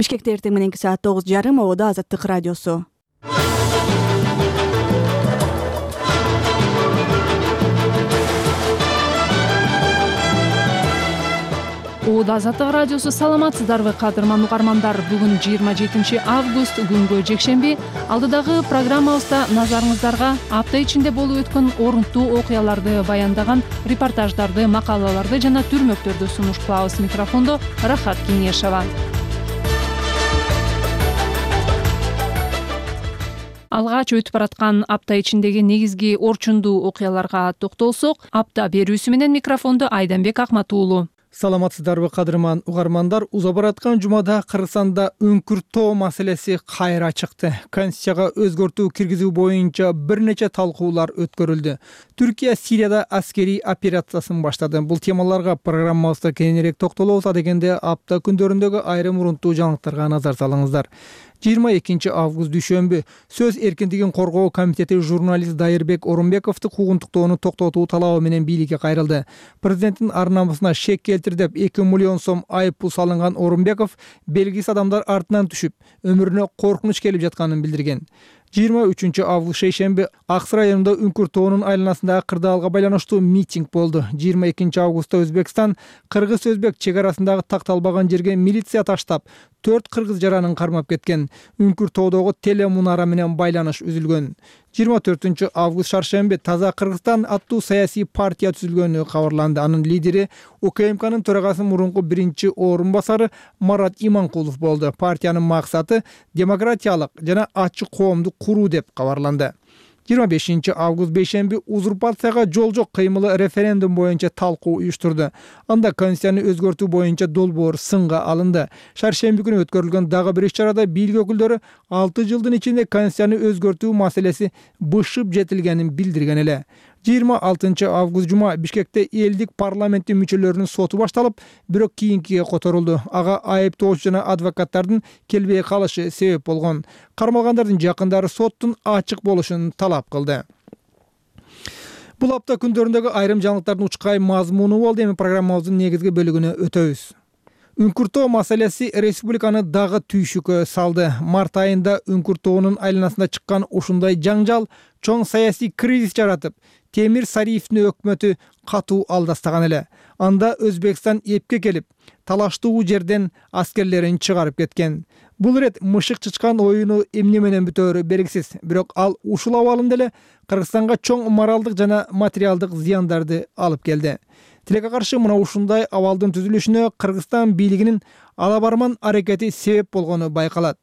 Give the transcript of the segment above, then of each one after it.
Бишкекте эртең мененки саат 9:30 ободо Азаттык радиосу. Ободо Азаттык радиосу. Саламатсыздарбы кадырман угармандар? Бүгүн 27 август күнгө жекшемби. Алдыдагы программабызда назарыңыздарга апта ичинде болуп өткөн орунттуу окуяларды баяндаган репортаждарды, макалаларды жана түрмөктөрдү сунуш кылабыз. Микрофондо Рахат Кеңешова. Алгач өтүп бараткан апта ичиндеги негизги орчундуу окуяларга токтолсок, апта берүүсү менен микрофондо Айданбек Акматуулу. Саламатсыздарбы кадырман угармандар? Уза бараткан жумада Кыргызстанда үңкүр тоо маселеси кайра чыкты. Конституцияга өзгөртүү киргизүү боюнча бир нече талкуулар өткөрүлдү. Түркия Сирияда аскерий операциясын баштады. Бул темаларга программабызда кеңирээк токтолобуз. Адегенде апта күндөрүндөгү айрым урунттуу жаңылыктарга назар салыңыздар. 22 август дүйшөмбү Сөз эркиндигин коргоо комитети журналист Дайырбек Орунбековду куугунтуктоону токтотуу талабы менен бийликке кайрылды. Президенттин ар намысына шек келтир деп 2 миллион сом айыппул салынган Орунбеков белгисиз адамдар артынан түшүп, өмүрүнө коркунуч келип жатканын билдирген. 23 август шейшемби Аксы районунда үңкүр тоонун айланасындагы кырдаалга байланыштуу митинг болду. 22 августта Өзбекстан кыргыз-өзбек чек арасындагы такталбаган жерге милиция таштап, 4 кыргыз жаранын кармап кеткен. Үңкүр тоодогу телемунара менен байланыш үзүлгөн. 24 август шаршемби Таза Кыргызстан аттуу саясий партия түзүлгөнү кабарланды. Анын лидери УКМКнын төрагасы мурунку биринчи орун басары Марат Иманкулов болду. Партиянын максаты демократиялык жана ачык коомду куруу деп кабарланды. 25 август бейшемби узурпацияга жол жок кыймылы референдум боюнча талкуу уюштурду. Анда конституцияны өзгөртүү боюнча долбоор сынга алынды. Шаршемби күнү өткөрүлгөн дагы бир иш-чарада бийлик өкүлдөрү 6 жылдын ичинде конституцияны өзгөртүү маселеси бышып жетилгенин билдирген эле. 26 август жума Бишкекте элдик парламенттин мүчөлөрүнүн соту башталып, бирок кийинкиге которулду. Ага айыптоочу жана адвокаттардын келбей калышы себеп болгон. Кармалгандардын жакындары соттун ачык болушун талап кылды. Бул апта күндөрүндөгү айрым жаңылыктардын учкай мазмуну болду. Эми программабыздын негизги бөлүгүнө өтөбүз. Үңкүр тоо маселеси республиканы дагы түйшүккө салды. Март айында үңкүр тоонун айланасында чыккан ушундай жаңжал чоң саясий кризис жаратып, Темир Сариевдин өкмөтү катуу алдастаган эле. Анда Өзбекстан эпке келип, талаштуу жерден аскерлерин чыгарып кеткен. Бул ирет мышык чычкан оюну эмне менен бүтөөрү белгисиз. Бирок ал ушул абалында эле Кыргызстанга чоң моралдык жана материалдык зыяндарды алып келди. Тилекке каршы мына ушундай абалдын түзүлүшүнө Кыргызстан бийлигинин алабарман аракети себеп болгону байкалат.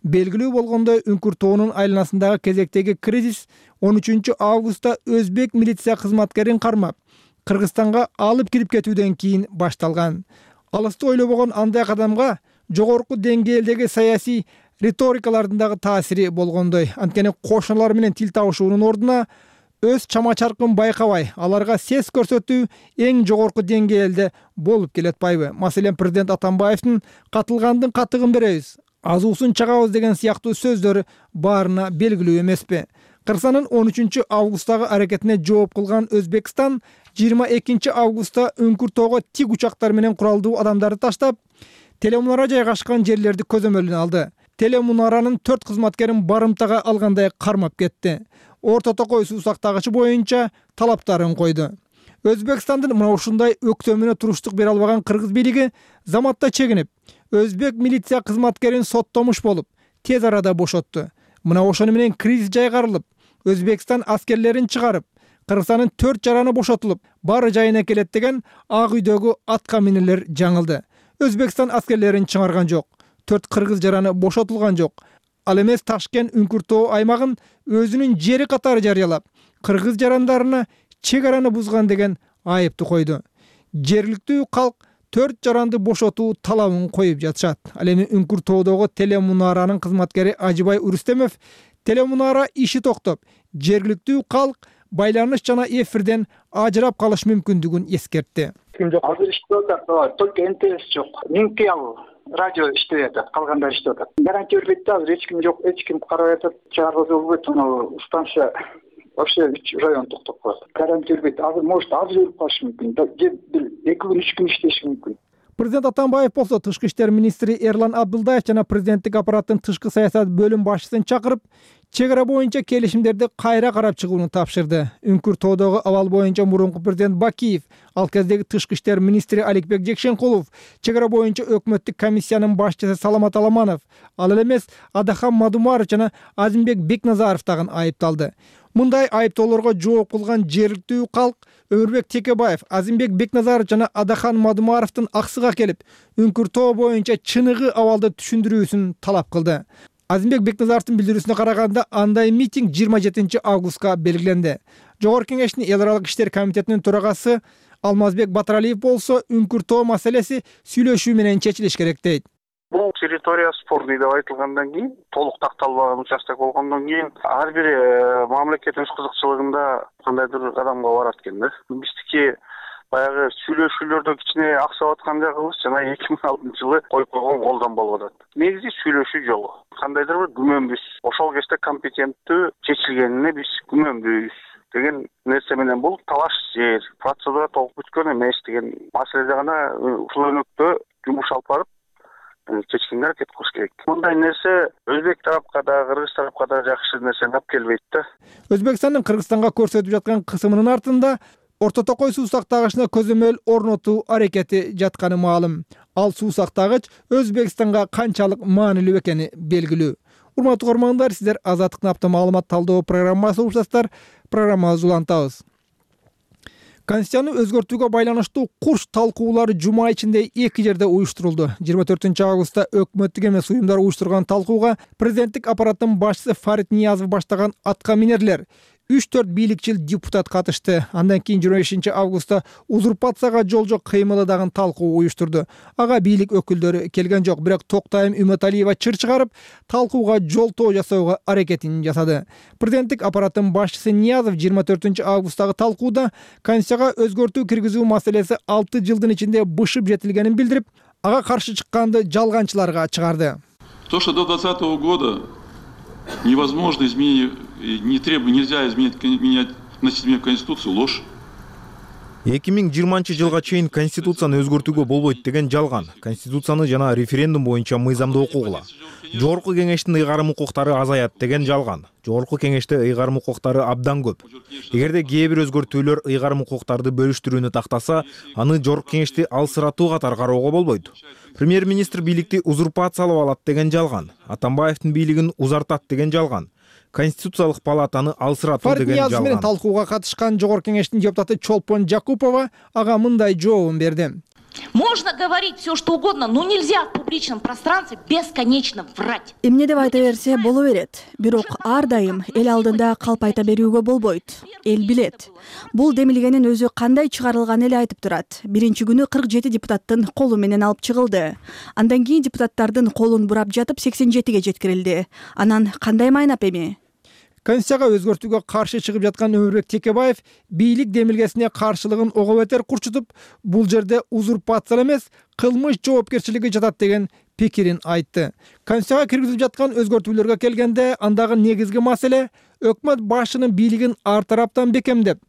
Белгилүү болгондой, үңкүр тоонун айланасындагы кезектеги кризис 13 августта өзбек милиция кызматкерин кармап, Кыргызстанга алып кирип кетүүдөн кийин башталган. Алысты ойлобогон андай кадамга жогорку деңгээлдеги саясий риторикалардын дагы таасири болгондой. Анткени кошуналар менен тил табышуунун ордуна өз чама-чаркын байкабай, аларга сес көрсөтүү эң жогорку деңгээлде болуп келатпайбы? Маселен, президент Атамбаевдин катылгандын катыгын беребиз, азуусун чагабыз деген сыяктуу сөздөрү баарына белгилүү эмеспи? Кыргызстандын 13 августтагы аракетине жооп кылган Өзбекстан 22 августта үңкүр тоого тик учактар менен куралдуу адамдарды таштап, телемунара жайгашкан жерлерди көзөмөлүнө алды. Телемунаранын 4 кызматкерин барымтага алгандай кармап кетти. Орто токой суу сактагычы боюнча талаптарын койду. Өзбекстандын мына ушундай өктөмүнө туруштук бере албаган кыргыз бийлиги заматта чегинип, өзбек милиция кызматкерин соттомуш болуп, тез арада бошотту. Мына ошону менен кризис жайгарылып, Өзбекстан аскерлерин чыгарып, Кыргызстандын 4 жараны бошотулуп, баары жайына келет деген Ак үйдөгү атка минелер жаңылды. Өзбекстан аскерлерин чыгарган жок, 4 кыргыз жараны бошотулган жок. Ал эмес Ташкент үңкүр тоо аймагын өзүнүн жери катары жарыялап, кыргыз жарандарына чек араны бузган деген айыпты койду. Жергиликтүү калк 4 жаранды бошотуу талабын коюп жатышат. Ал эми үңкүр тоодогу телемунаранын кызматкери Ажыбай Урустемов телемунара иши токтоп, жергиликтүү калк байланыш жана эфирден ажырап калыш мүмкүндүгүн эскертти. Ким жок, азыр иштеп атат, только НТС жок. Минки ал радио иштеп атат, калгандар иштеп атат. Гарантия бербейт да, азыр эч ким жок, эч ким карабай атат. Чыгарбаса болбойт, анау станция вообще район токтоп калат. Гарантия бербейт. Азыр может азыр өлүп калышы мүмкүн. Же бир 2 күн 3 күн иштеши мүмкүн. Президент Атамбаев болсо тышкы иштер министри Эрлан Абдылдаев жана президенттик аппараттын тышкы саясат бөлүм башчысын чакырып, чек ара боюнча келишимдерди кайра карап чыгууну тапшырды. Үңкүр тоодогу абал боюнча мурунку президент Бакиев, ал кездеги тышкы иштер министри Аликбек Жекшенкулов, чек ара боюнча өкмөттүк комиссиянын башчысы Саламат Аламанов, ал эле эмес Адахан Мадумаров жана Азимбек Бекназаров дагы айыпталды. Мындай айыптоолорго жооп кылган жергиликтүү калк Өмүрбек Текебаев, Азимбек Бекназаров жана Адахан Мадумаровдун аксыга келип, Үңкүр тоо боюнча чыныгы абалды түшүндүрүүсүн талап кылды. Азимбек Бекназаровдун билдирүүсүнө караганда, андай митинг 27 августка белгиленди. Жогорку кеңештин эл аралык иштер комитетинин төрагасы Алмазбек Батыралиев болсо, Үңкүр тоо маселеси сүйлөшүү менен чечилиш керек дейт. Бул территория спорный деп айтылгандан кийин, толук такталбаган участок болгондон кийин ар бир мамлекет өз кызыкчылыгында кандайдыр кадамга барат экен да. Биздики баягы сүйлөшүүлөрдө кичине аксап аткан жагыбыз жана 2006 жылы коюп койгон колдон болуп атат. Негизи сүйлөшүү жолу. Кандайдыр бир күмөнбүз. Ошол кезде компетенттүү чечилгенине биз күмөнбүз деген нерсе менен бул талаш жер, процедура толук бүткөн эмес деген маселеде гана ушул өнөктө жумуш алып барып чечкенге аракет кылыш керек. Мындай нерсе Өзбек тарапка да, Кыргыз тарапка да жакшы нерсени алып келбейт да. Өзбекстандын Кыргызстанга көрсөтүп жаткан кысымынын артында Орто Токой суу сактагычына көзөмөл орнотуу аракети жатканы маалым. Ал суу сактагыч Өзбекстанга канчалык маанилүү экени белгилүү. Урматтуу угармандар, сиздер Азаттыктын апта маалымат талдоо программасы угушасыздар. Программабызды улантабыз. Конституцияны өзгөртүүгө байланыштуу курч талкуулары жума ичинде 2 жерде уюштурулду. 24 августта өкмөттүк эмес уюмдар уюштурган талкууга президенттик аппараттын башчысы Фарид Ниязов баштаган атка минерлер 3-4 бийликчил депутат катышты. Андан кийин 25 августта узурпацияга жолжо кыймылы дагы талкуу уюштурду. Ага бийлик өкүлдөрү келген жок, бирок Токтайым Үмөталиева чыр чыгарып, талкууга жолтоо жасоого аракетин жасады. Президенттик аппараттын башчысы Ниязов 24 августтагы талкууда Конституцияга өзгөртүү киргизүү маселеси 6 жылдын ичинде бышып жетилгенин билдирип, ага каршы чыкканды жалганчыларга чыгарды. То, что до 2020 года невозможно изменить, нельзя изменять Конституцию, ложь. 2020 жылга чейин Конституцияны өзгөртүүгө болбойт деген жалган. Конституцияны жана референдум боюнча мыйзамды окугула. Жогорку кеңештин ыйгарым укуктары азаят деген жалган. Жогорку кеңеште ыйгарым укуктары абдан көп. Эгерде кээ бир өзгөртүүлөр ыйгарым укуктарды бөлүштүрүүнү тактаса, аны жогорку кеңешти алсыратуу катары кароого болбойт. Премьер-министр бийликти узурпациялап алат деген жалган. Атамбаевдин бийлигин узартат деген жалган. Конституциялык палатаны алсыратуу деген жалган. Фарид Ниязов менен талкууга катышкан жогорку кеңештин депутаты Чолпон Жакупова ага мындай жообун берди. Можно говорить все, что угодно, но нельзя в публичном пространстве бесконечно врать. Эмне деп айта берсе боло берет. Бирок ар дайым эл алдында калп айта берүүгө болбойт. Эл билет. Бул демилгенин өзү кандай чыгарылганын эле айтып турат. Биринчи күнү 47 депутаттын колу менен алып чыгылды. Андан кийин депутаттардын колун бурап жатып 87ге жеткирилди. Анан кандай майнап эми? Конституцияга өзгөртүүгө каршы чыгып жаткан Өмүрбек Текебаев бийлик демилгесине каршылыгын ого бетер курчутуп, бул жерде узурпация эмес, кылмыш жоопкерчилиги жатат деген пикирин айтты. Конституцияга киргизилип жаткан өзгөртүүлөргө келгенде, андагы негизги маселе өкмөт башчынын бийлигин ар тараптан бекемдеп,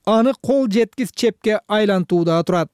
аны кол жеткис чепке айлантууда турат.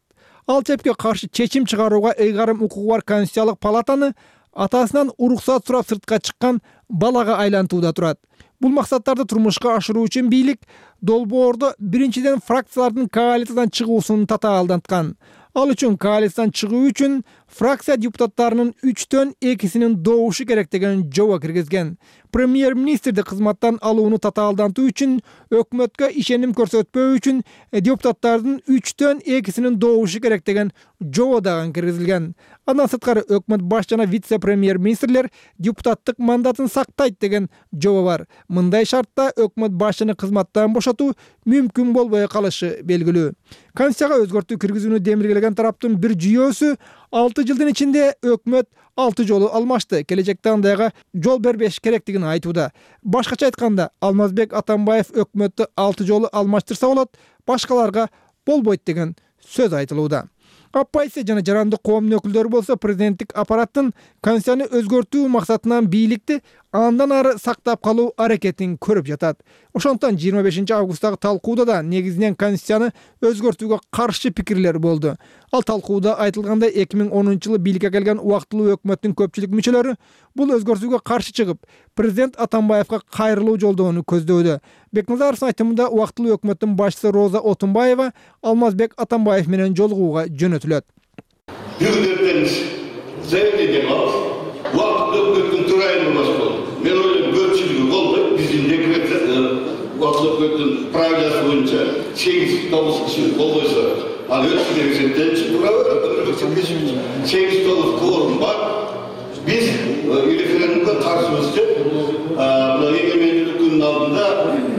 Ал чепке каршы чечим чыгарууга ыйгарым укугу бар Конституциялык палатаны атасынан уруксат сурап сыртка чыккан балага айлантууда турат. Бул максаттарды турмушка ашыруу үчүн бийлик долбоордо биринчиден фракциялардын коалициядан чыгуусун татаалданткан. Ал үчүн коалициядан чыгуу үчүн фракция депутаттарынын 3төн 2синин добушу керек деген жобо киргизген. Премьер-министрди кызматтан алууну татаалдантуу үчүн, өкмөткө ишеним көрсөтпөө үчүн депутаттардын 3төн 2синин добушу керек деген жобо дагы киргизилген. Андан сырткары өкмөт баш жана вице-премьер-министрлер депутаттык мандатын сактайт деген жобо бар. Мындай шартта өкмөт башчыны кызматтан бошотуу мүмкүн болбой калышы белгилүү. Конституцияга өзгөртүү киргизүүнү демилгелеген тараптын бир жүйөөсү 6 жылдын ичинде өкмөт 6 жолу алмашты. Келечекте андайга жол бербеш керектигин айтууда. Башкача айтканда, Алмазбек Атамбаев өкмөттү 6 жолу алмаштырса болот, башкаларга болбойт деген сөз айтылууда. Оппозиция жана жарандык коомдун өкүлдөрү болсо президенттик аппараттын конституцияны өзгөртүү максатынан бийликти андан ары сактап калуу аракетин көрүп жатат. Ошондуктан 25 августтагы талкууда да негизинен конституцияны өзгөртүүгө каршы пикирлер болду. Ал талкууда айтылгандай 2010-жылы бийликке келген убактылуу өкмөттүн көпчүлүк мүчөлөрү бул өзгөртүүгө каршы чыгып, президент Атамбаевга кайрылуу жолдоону көздөөдө. Бекназаровдун айтымында убактылуу өкмөттүн башчысы Роза Отунбаева Алмазбек Атамбаев менен жолугууга жөнөтүлөт. Заявление убактылуу өкмөттүн төрайымы башкалды. Мен ойлойм, көпчүлүгү болду. Биздин убактылуу өкмөттүн правиласы боюнча 8-9 киши болбойсо, ал өткөн эсептенчи, 8-9 кворум бар. Биз референдумга каршыбыз деп, эгемендүүлүк күнүнүн алдында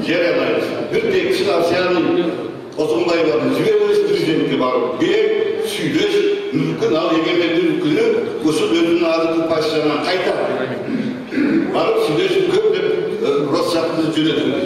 жарыялайбыз. Бир текши Асияны Отунбаеваны жиберебиз президентке барып, сүйлөш мүмкүн, ал эгемендүүлүк күнү ушул өзүнүн адыктык башчыларынан кайта барып сүйлөшүп көп деп Россиятты жөнөтүлдү.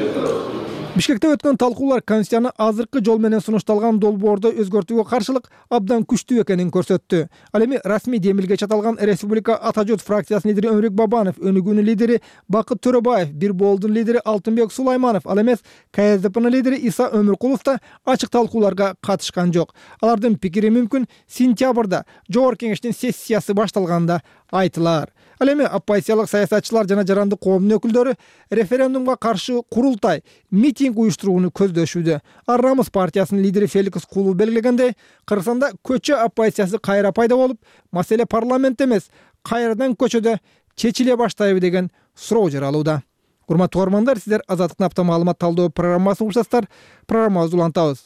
Бишкекте өткөн талкуулар конституцияны азыркы жол менен сунушталган долбоордо өзгөртүүгө каршылык абдан күчтүү экенин көрсөттү. Ал эми расмий демилге чаталган Республика Ата журт фракциясынын лидери Өмүрбек Бабанов, Өнүгүүнүн лидери Бакыт Төрөбаев, Бир Боолдун лидери Алтынбек Сулайманов, ал эмес КСДПнын лидери Иса Өмүркулов да ачык талкууларга катышкан жок. Алардын пикири мүмкүн сентябрда Жогорку Кеңештин сессиясы башталганда айтылар. Ал эми оппозициялык саясатчылар жана жарандык коомдун өкүлдөрү референдумга каршы курултай, митинг уюштурууну көздөшүүдө. Аррамыз партиясынын лидери Феликс Кулов белгилегендей, Кыргызстанда көчө оппозициясы кайра пайда болуп, маселе парламент эмес, кайрадан көчөдө чечиле баштайбы деген суроо жаралууда. Урматтуу угармандар, сиздер Азаттыктын апта маалымат талдоо программасын угушасыздар. Программабызды улантабыз.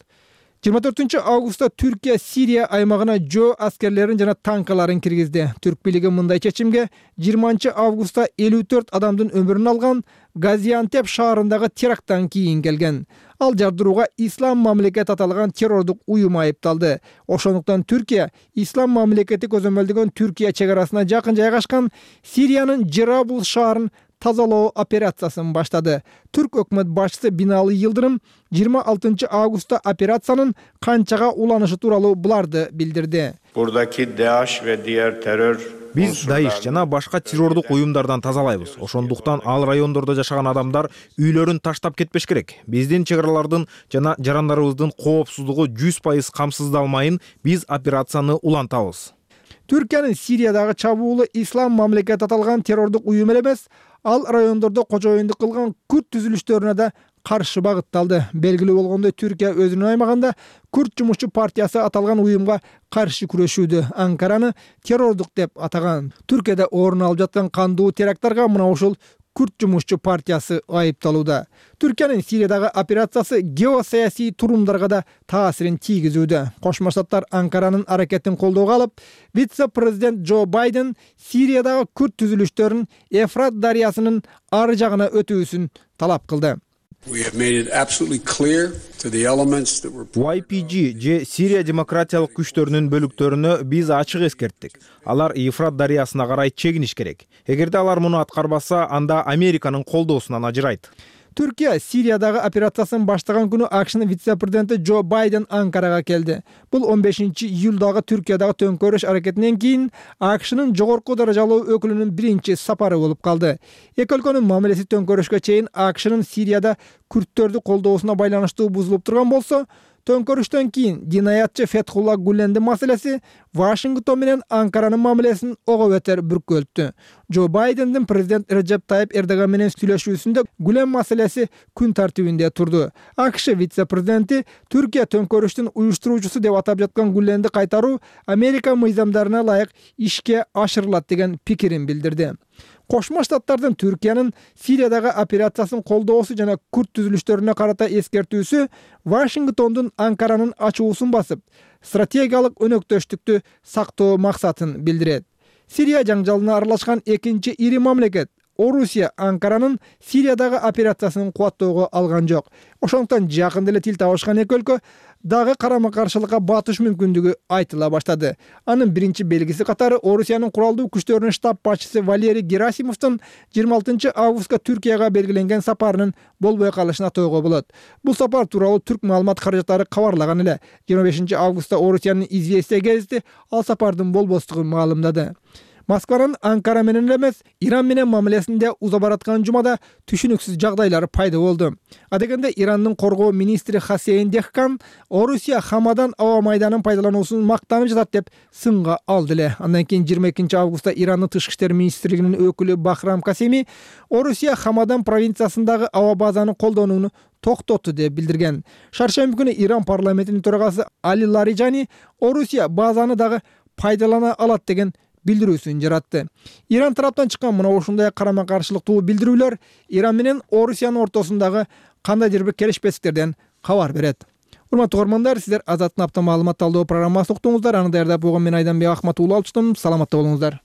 24 августта Түркия Сирия аймагына жөө аскерлерин жана танкаларын киргизди. Түрк бийлиги мындай чечимге 20 августта 54 адамдын өмүрүн алган Газиантеп шаарындагы теракттан кийин келген. Ал жардырууга Ислам мамлекети аталган террордук уюм айыпталды. Ошондуктан Түркия Ислам мамлекети көзөмөлдөгөн Түркия чек арасына жакын жайгашкан Сириянын Джерабул шаарын тазалоо операциясын баштады. Түрк өкмөт башчысы Бинали Йылдырым 26 августта операциянын канчага уланышы тууралуу буларды билдирди. Биз Даиш жана башка террордук уюмдардан тазалайбыз. Ошондуктан ал райондордо жашаган адамдар үйлөрүн таштап кетпеш керек. Биздин чек аралардын жана жарандарыбыздын коопсуздугу 100% камсыздалмайын биз операцияны улантабыз. Түркиянын Сириядагы чабуулу Ислам мамлекети аталган террордук уюм эмес, ал райондордо кожоюндук кылган күрд түзүлүштөрүнө да каршы багытталды. Белгилүү болгондой, Түркия өзүнүн аймагында Күрд жумушчу партиясы аталган уюмга каршы күрөшүүдө. Анкараны террордук деп атаган. Түркияда орун алып жаткан кандуу теракттарга мына ушул Күрд жумушчу партиясы айыпталууда. Түркиянын Сириядагы операциясы геосаясий турумдарга да таасирин тийгизүүдө. Кошмо Штаттар Анкаранын аракетин колдоого алып, вице-президент Джо Байден Сириядагы Күрд түзүлүштөрүн Эфрат дарыясынын ары жагына өтүүсүн талап кылды. YPG же Сирия демократиялык күчтөрүнүн бөлүктөрүнө биз ачык эскерттик. Алар Ефрат дарыясына карай чегиниш керек. Эгерде алар муну аткарбаса, анда Американын колдоосунан ажырайт. Түркия Сириядагы операциясын баштаган күнү АКШнын вице-президенти Джо Байден Анкарага келди. Бул 15 июлдагы Түркиядагы төңкөрүш аракетинен кийин АКШнын жогорку даражалуу өкүлүнүн биринчи сапары болуп калды. Эки өлкөнүн мамилеси төңкөрүшкө чейин АКШнын Сирияда күрдтөрдү колдоосуна байланыштуу бузулуп турган болсо, төңкөрүштөн кийин динаятчы Фетхулла Гүлендин маселеси Вашингтон менен Анкаранын мамилесин ого бетер бүркөлттү. Джо Байдендин президент Реджеп Тайип Эрдоган менен сүйлөшүүсүндө Гүлен маселеси күн тартибинде турду. АКШ вице-президенти Түркия төңкөрүштүн уюштуруучусу деп атап жаткан Гүленди кайтаруу Америка мыйзамдарына ылайык ишке ашырылат деген пикирин билдирди. Кошмо Штаттардын Түркиянын Сириядагы операциясын колдоосу жана күрд түзүлүштөрүнө карата эскертүүсү Вашингтондун Анкаранын ачуусун басып, стратегиялык өнөктөштүктү сактоо максатын билдирет. Сирия жаңжалына аралашкан экинчи ири мамлекет Орусия Анкаранын Сириядагы операциясын кубаттоого алган жок. Ошондуктан жакында эле тил табышкан эки өлкө дагы карама-каршылыкка батыш мүмкүндүгү айтыла баштады. Анын биринчи белгиси катары Орусиянын куралдуу күчтөрүнүн штаб башчысы Валерий Герасимовдун 26 августка Түркияга белгиленген сапарынын болбой калышын атоого болот. Бул сапар тууралуу түрк маалымат каражаттары кабарлаган эле. 25 августта Орусиянын Известия гезити ал сапардын болбостугун маалымдады. Москванын Анкара менен эмес, Иран менен мамилесинде уза бараткан жумада түшүнүксүз жагдайлар пайда болду. Адегенде Ирандын коргоо министри Хасейн Дехкан Орусия Хамадан аба майданын пайдалануусун мактанып жатат деп сынга алды эле. Андан кийин 22 августта Ирандын тышкы иштер министрлигинин өкүлү Бахрам Касеми Орусия Хамадан провинциясындагы аба базаны колдонууну токтотту деп билдирген. Шаршемби күнү Иран парламентинин төрагасы Али Лариджани Орусия базаны дагы пайдалана алат деген билдирүүсүн жаратты. Иран тараптан чыккан мына ушундай карама-каршылыктуу билдирүүлөр Иран менен Орусиянын ортосундагы кандайдыр бир келишпестиктерден кабар берет. Урматтуу угармандар, сиздер Азаттын апта маалымат талдоо программасын уктуңуздар. Аны даярдап койгон мен Айданбек Ахмат уулу алчтым. Саламатта болуңуздар.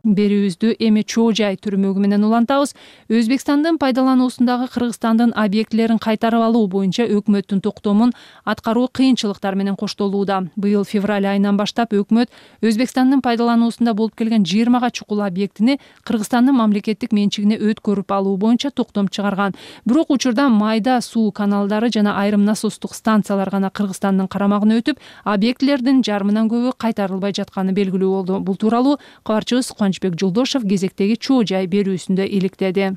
Берүүбүздү эми чоо жай түрмөгү менен улантабыз. Өзбекстандын пайдалануусундагы Кыргызстандын объектилерин кайтарып алуу боюнча өкмөттүн токтомун аткаруу кыйынчылыктар менен коштолууда. Быйыл февраль айынан баштап өкмөт Өзбекстандын пайдалануусунда болуп келген 20 чукул объектини Кыргызстандын мамлекеттик менчигине өткөрүп алуу боюнча токтом чыгарган. Бирок учурда майда суу каналдары жана айрым насостук станциялар гана Кыргызстандын карамагына өтүп, объектилердин жарымынан көбү кайтарылбай жатканы белгилүү болду. Бул тууралуу кабарчыбыз Кубанычбек Жолдошов кезектеги чоо жай берүүсүндө иликтеди.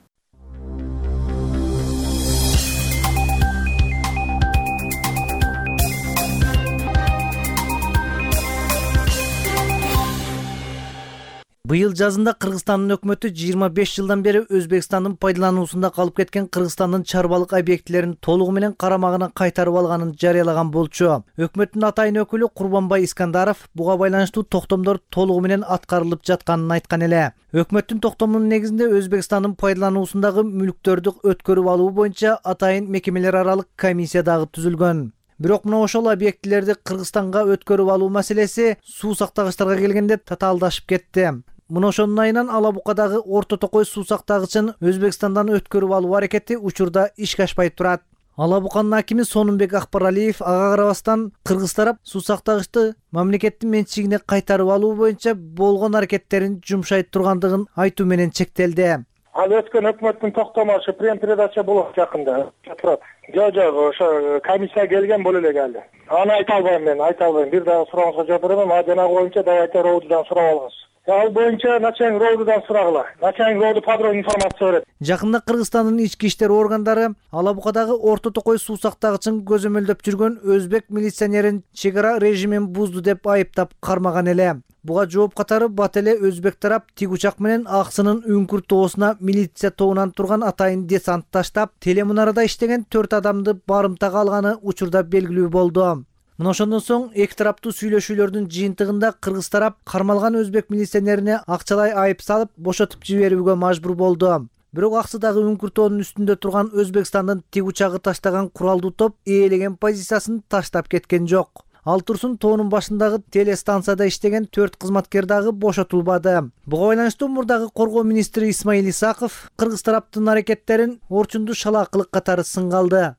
Быйыл жазында Кыргызстандын өкмөтү 25 жылдан бери Өзбекстандын пайдалануусунда калып кеткен Кыргызстандын чарбалык объектилерин толугу менен карамагына кайтарып алганын жарыялаган болчу. Өкмөттүн атайын өкүлү Курбанбай Искандаров буга байланыштуу токтомдор толугу менен аткарылып жатканын айткан эле. Өкмөттүн токтомунун негизинде Өзбекстандын пайдалануусундагы мүлктөрдү өткөрүп алуу боюнча атайын мекемелер аралык комиссия дагы түзүлгөн. Бирок мына ошол объектилерди Кыргызстанга өткөрүп алуу маселеси суу сактагычтарга келгенде татаалдашып кетти. Мына ошонун айынан Ала Букадагы Орто Токой суу сактагычын Өзбекстандан өткөрүп алуу аракети учурда ишке ашпай турат. Ала Буканын акими Сонунбек Акбаралиев ага карабастан Кыргыз тарап суу сактагычты мамлекеттин менчигине кайтарып алуу боюнча болгон аракеттерин жумшай тургандыгын айтуу менен чектелди. Ал өткөн өкмөттүн токтому ошо прем-передача болот жакында турат. Жок, ошо комиссия келген боло элек али. Аны айта албайм. Бир дагы сурооңузга жооп берем. Жанагы боюнча Давайте Роудудан сурап алыңыз. Ал боюнча начальник Роудудан сурагыла. Начальник Роуду подробный информация берет. Жакында Кыргызстандын ички иштер органдары Ала Букадагы Орто Токой суу сактагычын көзөмөлдөп жүргөн өзбек милиционерин чек ара режимин бузду деп айыптап кармаган эле. Буга жооп катары бат эле өзбек тарап тик учак менен Аксынын Үңкүр тоосуна милиция тобунан турган атайын десант таштап, телемунарада иштеген 4 адамды барымтага алганы учурда белгилүү болду. Мына ошондон соң эки тараптуу сүйлөшүүлөрдүн жыйынтыгында Кыргыз тарап кармалган өзбек милиционерине акчалай айып салып, бошотуп жиберүүгө мажбур болду. Бирок Аксыдагы Үңкүр тоонун үстүндө турган Өзбекстандын тик учагы таштаган куралдуу топ ээлеген позициясын таштап кеткен жок. Ал турсун тоонун башындагы телестанцияда иштеген 4 кызматкер дагы бошотулбады. Буга байланыштуу мурдагы коргоо министри Исмаил Исаков Кыргыз тараптын аракеттерин орчунду шалаакылык катары сынга алды.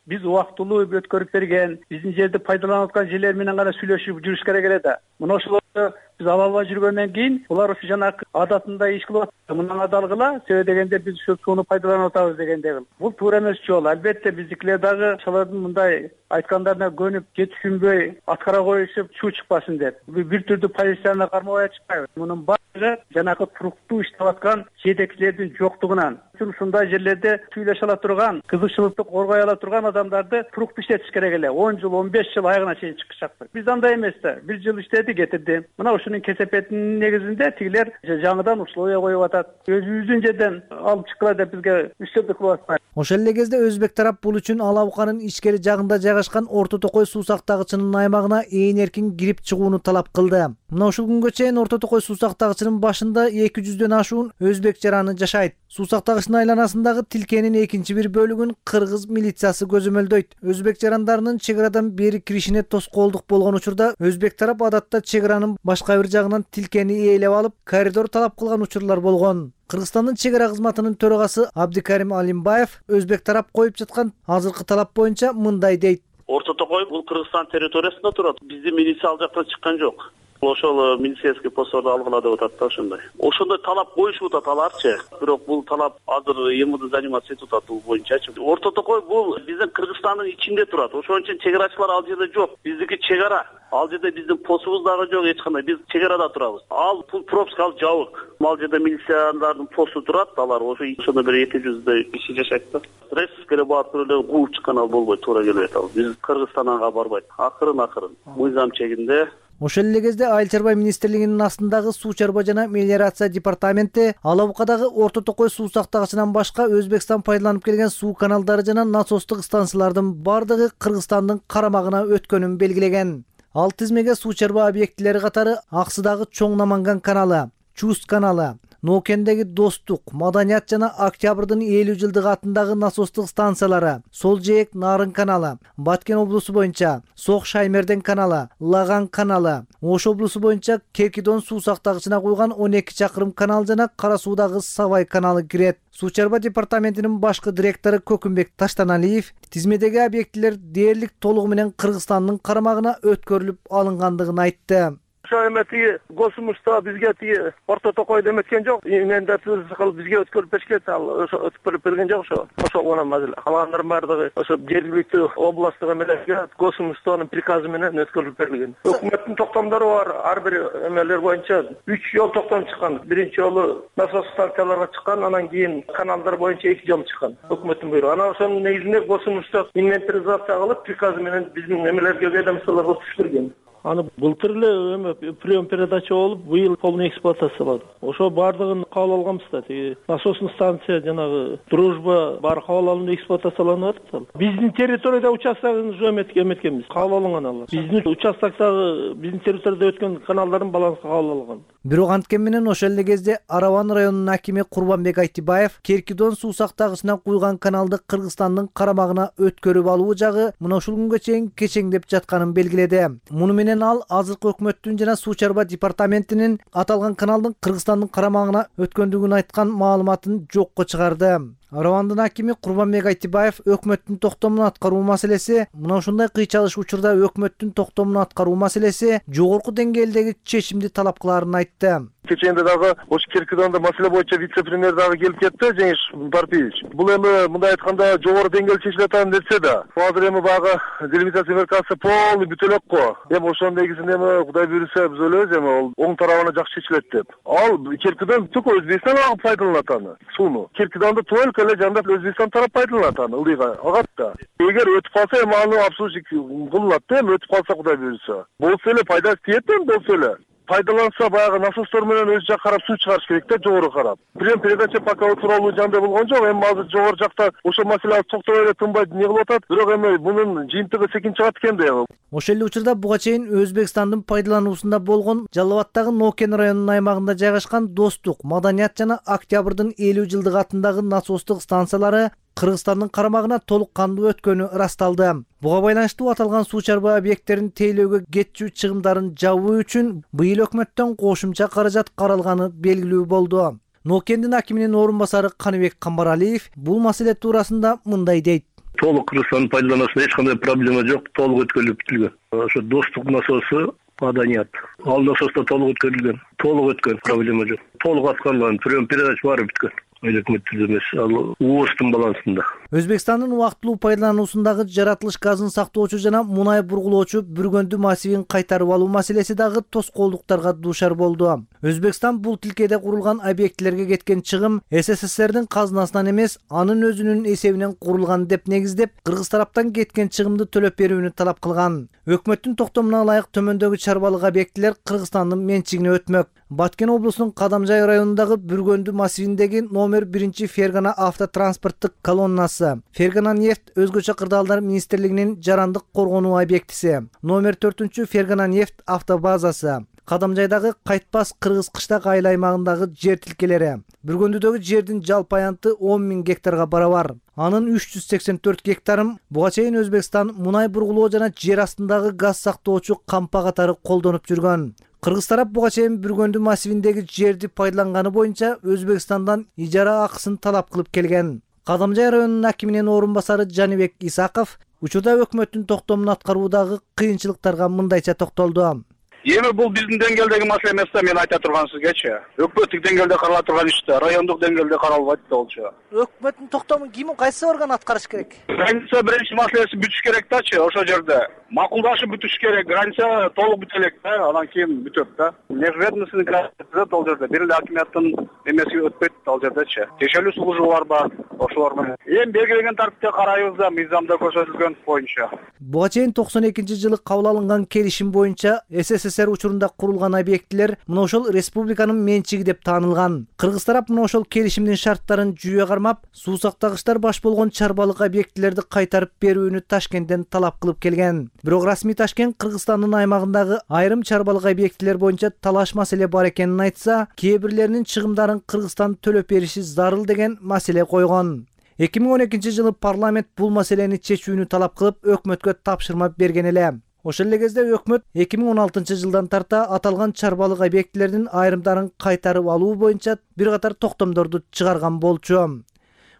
Биз убактылуу өткөрүп берген, биздин жерди пайдаланып аткан жерлер менен гана сүйлөшүп жүрүш керек эле да. Мына ошолорду биз ала албай жүргөндөн кийин булар ушу жанагы адатында иш кылып атат. Мындан адалгыла, себеби дегенде биз ушу сууну пайдаланып атабыз дегенде. Бул туура эмес жол. Албетте биздикилер дагы ошолордун мындай айткандарына көнүп, же түшүнбөй аткара коюшуп, чуу чыкпасын деп. Бир түрдүү позицияны кармабай чыкпайбыз. Мунун баары жанагы туруктуу иштеп аткан жетекчилердин жоктугунан. Ушундай жерлерде сүйлөшө ала турган, кызыкчылыкты коргой ала турган адамдарды туруктуу иштетиш керек эле. 10 жыл, 15 жыл айыгына чейин чыкышат. Биз андай эмес да. 1 жыл иштеди, кетирди. Мына ушунун кесепетинин негизинде тигилер жаңыдан условия коюп атат. Өзүбүздүн жерден алып чыккыла деп бизге үстөмдүк кылып атпайбы. Ошол эле кезде өзбек тарап бул үчүн Ала Буканын ичкери жагында жайгашкан Орто Токой суу сактагычынын аймагына ээн эркин кирип чыгууну талап кылды. Мына ушул күнгө чейин Орто Токой суу сактагычынын башында 200дөн ашуун өзбек жараны жашайт. Суу сактагычтын айланасындагы тилкенин экинчи бир бөлүгүн кыргыз милициясы көзөмөлдөйт. Өзбек жарандарынын чек арадан бери киришине тоскоолдук болгон учурда өзбек тарап адатта чек аранын башка бир жагынан тилкени ээлеп алып, коридор талап кылган учурлар болгон. Кыргызстандын чек ара кызматынын төрагасы Абдикарим Алимбаев өзбек тарап коюп жаткан азыркы талап боюнча мындай дейт. Орто Токой бул Кыргызстан территориясында турат. Биздин милиция ал жактан чыккан жок. Ошол милицейский постторду алгыла деп атат да ошондой. Ошондой талап коюшуп атат аларчы. Бирок бул талап азыр МВД заниматься этип атат бул боюнчачы. Орто Токой бул биздин Кыргызстандын ичинде турат. Ошон үчүн чек арачылар ал жерде жок. Биздики чек ара. Ал жерде биздин постубуз дагы жок эч кандай. Биз чек арада турабыз. Ал пул пропуск ал жабык. Ал жерде милициялардын посту турат. Алар ошондо бир 200 киши жашайт да. Рейскере барып эле кууп чыккан ал болбойт, туура келбейт ал. Биз Кыргызстанга барбайт. Акырын мыйзам чегинде. Ошол эле кезде Айыл чарба министрлигинин астындагы суу чарба жана мелиорация департаменти Алабукадагы Орто Токой суу сактагычынан башка Өзбекстан пайдаланып келген суу каналдары жана насостук станциялардын бардыгы Кыргызстандын карамагына өткөнүн белгилеген. Ал тизмеге суу чарба объектилери катары Аксыдагы Чоң Наманган каналы, Чуст каналы, Ноокендеги Достук, Маданият жана Октябрдын 50 жылдык атындагы насостук станциялары, Сол Жээк Нарын каналы, Баткен облусу боюнча Сок Шаймерден каналы, Лаган каналы, Ош облусу боюнча Керкидон суу сактагычына куйган 12 чакырым канал жана Кара суудагы Савай каналы кирет. Суу чарба департаментинин башкы директору Көкүмбек Таштаналиев тизмедеги объектилер дээрлик толугу менен Кыргызстандын карамагына өткөрүлүп алынгандыгын айтты. Ошо эмети госумушта бизге тиги Орто Токойдо эметкен жок. Мендетибиз кылып бизге өткөрүп беришкен, ал ошо өткөрүп берген жок ошо. Ошо гана мазил. Калгандардын баардыгы ошо жергиликтүү областтык эмелерге госумуштанын приказы менен өткөрүлүп берилген. Өкмөттүн токтомдору бар. Ар бир эмелер боюнча 3 жол токтом чыккан. Биринчи жолу насос станцияларга чыккан, анан кийин каналдар боюнча 2 жол чыккан. Өкмөттүн буйругу. Анан ошонун негизинде госумушта инвентаризация кылып, приказы менен биздин эмелерге ведомстволорго түшүрүлгөн. Аны былтыр эле прием передача болуп, быйыл полный эксплуатациялады. Ошо бардыгын кабыл алганбыз да. Насосный станция жанагы Дружба бар кабыл алынып эксплуатацияланып атат. Биздин территорияда участогун уже эметкенбиз. Кабыл алынган алар. Биздин участоктогу биздин территорияда өткөн каналдардын балансы кабыл алынган. Бирок анткени менен ошол эле кезде Араван районунун акими Курбанбек Айтибаев Керкидон суу сактагычына куйган каналды Кыргызстандын карамагына өткөрүп алуу жагы мына ушул күнгө чейин кечеңдеп жатканын белгиледи. Муну менен ал азыркы өкмөттүн жана суу чарба департаментинин аталган каналдын Кыргызстандын карамагына өткөндүгүн айткан маалыматын жокко чыгарды. Аравандын акими Курбанбек Айтибаев өкмөттүн токтомун аткаруу маселеси, мына ушундай кыйчалыш учурда өкмөттүн токтомун аткаруу маселеси жогорку деңгээлдеги чечимди талап кыларын айтты. Кеченде дагы ошо Керкидонда маселе боюнча вице-премьер дагы келип кетти, Жеңиш Парпиевич. Бул эми мындай айтканда жогору деңгээлде чечиле атат нерсе да. Азыр эми багы делимитация меркасы полный бүтө элек го. Эми ошонун негизинде эми Кудай буйруса биз ойлойбуз эми ал оң тарабына жакшы чечилет деп. Ал Керкидон түк Өзбекстан агып пайдаланат аны. Сууну. Керкидонду только эле жандап Өзбекстан тарап пайдаланат аны, ылдыйга агат да. Эгер өтүп калса эми аны обслуживать кылынат да, эми өтүп калса Кудай буйруса. Болсо эле пайдасы тиет эми болсо эле. Пайдаланса баягы насостор менен өз жак карап суу чыгарыш керек да, жогору карап. Прием передача пока тууралуу жандай болгон жок. Эми азыр жогору жакта ошол маселе токтобой эле тынбай не кылып атат. Бирок эми мунун жыйынтыгы секин чыгат экен да. Ошол эле учурда буга чейин Өзбекстандын пайдалануусунда болгон Жалал Абадтагы Нокен районунун аймагында жайгашкан Достук, Маданият жана Октябрдын 50 жылдык атындагы насостук станциялары Кыргызстандын карамагына толук кандуу өткөнү ырасталды. Буга байланыштуу аталган суу чарба объекттерин тейлөөгө кетчү чыгымдарын жабуу үчүн быйыл өкмөттөн кошумча каражат каралганы белгилүү болду. Ноокендин акиминин орун басары Каныбек Камбаралиев бул маселе туурасында мындай дейт. Толук Кыргызстандын пайдалануусунда эч кандай проблема жок, толук өткөрүлүп бүтүлгөн. Ошо Достук насосу Маданият. Ал насоста толук өткөрүлгөн. Толук өткөн, проблема жок. Толук аткарылган, прием передач баары бүткөн. Өкмөттүн эмес, ал УОСтун балансында. Өзбекстандын убактылуу пайдалануусундагы жаратылыш газын сактоочу жана мунай бургулоочу Бүргөндү массивин кайтарып алуу маселеси дагы тоскоолдуктарга дуушар болду. Өзбекстан бул тилкеде курулган объектилерге кеткен чыгым СССРдин казынасынан эмес, анын өзүнүн эсебинен курулган деп негиздеп, кыргыз тараптан кеткен чыгымды төлөп берүүнү талап кылган. Өкмөттүн токтомуна ылайык төмөндөгү чарбалык объектилер Кыргызстандын менчигине өтмөк. Баткен облусунун Кадамжай районундагы Бүргөндү массивиндеги номер 1 Фергана автотранспорттук колоннасы, Фергана нефть өзгөчө кырдаалдар министрлигинин жарандык коргонуу объектиси, номер 4 Фергана нефть автобазасы, Кадамжайдагы Кайтпас Кыргыз кыштак айыл аймагындагы жер тилкелери. Бүргөндүдөгү жердин жалпы аянты 10 000 гектарга барабар. Анын 384 гектарын буга чейин Өзбекстан мунай бургулоо жана жер астындагы газ сактоочу кампа катары колдонуп жүргөн. Кыргыз тарап буга чейин Бүргөндү массивиндеги жерди пайдаланганы боюнча Өзбекстандан ижара акысын талап кылып келген. Кадамжай районунун акиминин орун басары Жанибек Исаков учурда өкмөттүн токтомун аткаруудагы кыйынчылыктарга мындайча токтолду. Эми бул биздин деңгээлдеги маселе эмес да, мен айта турган сизгечи. Өкмөттүк деңгээлде карала турган иш да, райондук деңгээлде каралбайт да болчу. Өкмөттүн токтомун ким, кайсы орган аткарыш керек? Граница биринчи маселеси бүтүш керек дачы, ошол жерде. Макулдашып бүтүш керек, граница толук бүтө элек да, анан кийин бүтөт да. Межведомственный граница ал жерде, бир эле акимияттын эмеси өтпөйт ал жердечи. Текшерүү службалар бар, ошолор менен. Эми белгиленген тартипте карайбыз да, мыйзамда көрсөтүлгөн боюнча. Буга чейин 92-жылы кабыл алынган келишим боюнча СССР учурунда курулган объектилер мына ошол республиканын менчиги деп таанылган. Кыргыз тарап мына ошол келишимдин шарттарын жүйө кармап, суу сактагычтар баш болгон чарбалык объектилерди кайтарып берүүнү Ташкенттен талап кылып келген. Бирок расмий Ташкент Кыргызстандын аймагындагы айрым чарбалык объектилер боюнча талаш маселе бар экенин айтса, кээ бирлеринин чыгымдарын Кыргызстан төлөп бериши зарыл деген маселе койгон. 2012-жылы парламент бул маселени чечүүнү талап кылып, өкмөткө тапшырма берген эле. Ошол эле кезде өкмөт 2016-жылдан тарта аталган чарбалык объектилердин айрымдарын кайтарып алуу боюнча бир катар токтомдорду чыгарган болчу.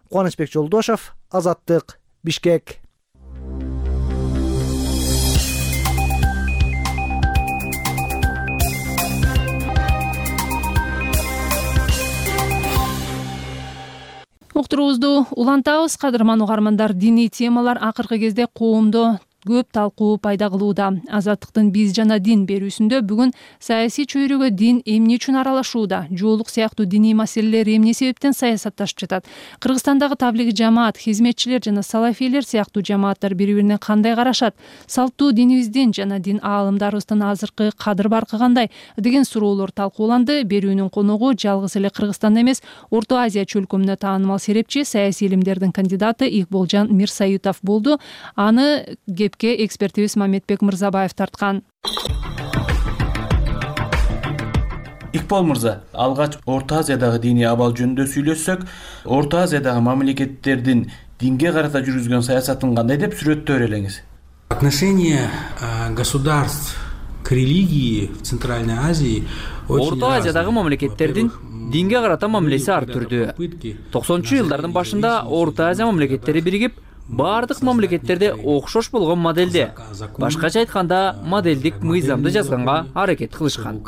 Кубанычбек Жолдошов, Азаттык, Бишкек. Уктуруубузду улантабыз. Кадырман угармандар, диний темалар акыркы кезде коомдо көп талкуу пайда кылууда. Азаттыктын биз жана дин берүүсүндө бүгүн саясий чөйрөгө дин эмне үчүн аралашууда, жоолук сыяктуу диний маселелер эмне себептен саясатташып жатат, Кыргызстандагы таблиги жамаат, хизметчилер жана салафийлер сыяктуу жамааттар бири-бирине кандай карашат, салттуу динибиздин жана дин аалымдарыбыздын азыркы кадыр баркы кандай деген суроолор талкууланды. Берүүнүн коногу жалгыз эле Кыргызстан эмес, Орто Азия чөлкөмүнө таанымал серепчи, саясий илимдердин кандидаты Икболжан Мирсоютов болду. Аны экспертибиз Мамедбек Мырзабаев тарткан. Икбол мырза, алгач Орто Азиядагы диний абал жөнүндө сүйлөшсөк, Орто Азиядагы мамлекеттердин динге карата жүргүзгөн саясатын кандай деп сүрөттөр элеңиз? Отношение государств к религии в Центральной Азии Орто Азиядагы мамлекеттердин динге карата мамилеси ар түрдүү. 90-жылдардын башында Орто Азия мамлекеттери биригип, бардык мамлекеттерде окшош болгон моделде, башкача айтканда моделдик мыйзамды жазганга аракет кылышкан.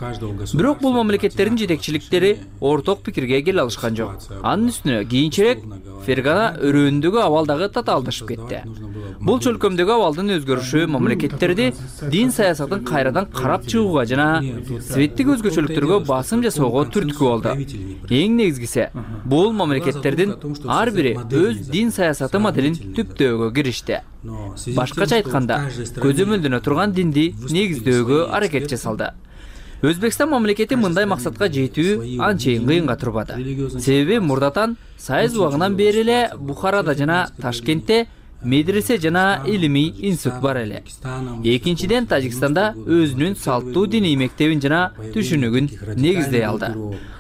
Бирок бул мамлекеттердин жетекчиликтери орток пикирге келе алышкан жок. Анын үстүнө кийинчерээк Фергана өрөөндөгү абал дагы татаалдашып кетти. Бул чөлкөмдөгү абалдын өзгөрүшү мамлекеттерди дин саясатын кайрадан карап чыгууга жана светтик өзгөчөлүктөргө басым жасоого түрткү болду. Эң негизгиси, бул мамлекеттердин ар бири өз дин саясаты моделин түптөөгө киришти. Башкача айтканда, көзөмөлдөнө турган динди негиздөөгө аракет жасалды. Өзбекстан мамлекети мындай максатка жетүү анчейин кыйынга турбады. Себеби мурдатан сайыз убагынан бери эле Бухарада жана Ташкентте медресе жана илимий институт бар эле. Экинчиден, Тажикстанда өзүнүн салттуу диний мектебин жана түшүнүгүн негиздей алды.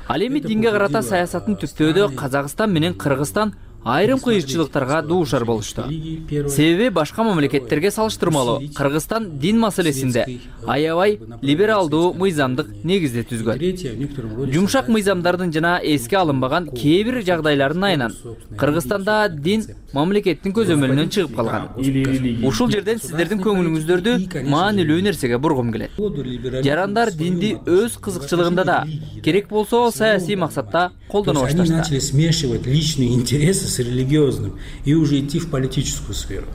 Ал эми динге карата саясатын түптөөдө Казакстан менен Кыргызстан айрым кыйынчылыктарга дуушар болушту. Себеби башка мамлекеттерге салыштырмалуу Кыргызстан дин маселесинде аябай либералдуу мыйзамдык негизди түзгөн. Жумшак мыйзамдардын жана эске алынбаган кээ бир жагдайлардын айынан Кыргызстанда дин мамлекеттин көзөмөлүнөн чыгып калган. Ушул жерден сиздердин көңүлүңүздөрдү маанилүү нерсеге бургум келет. Жарандар динди өз кызыкчылыгында да, керек болсо саясий максатта колдоно башташты. С религиозным и уже идти в политическую сферу.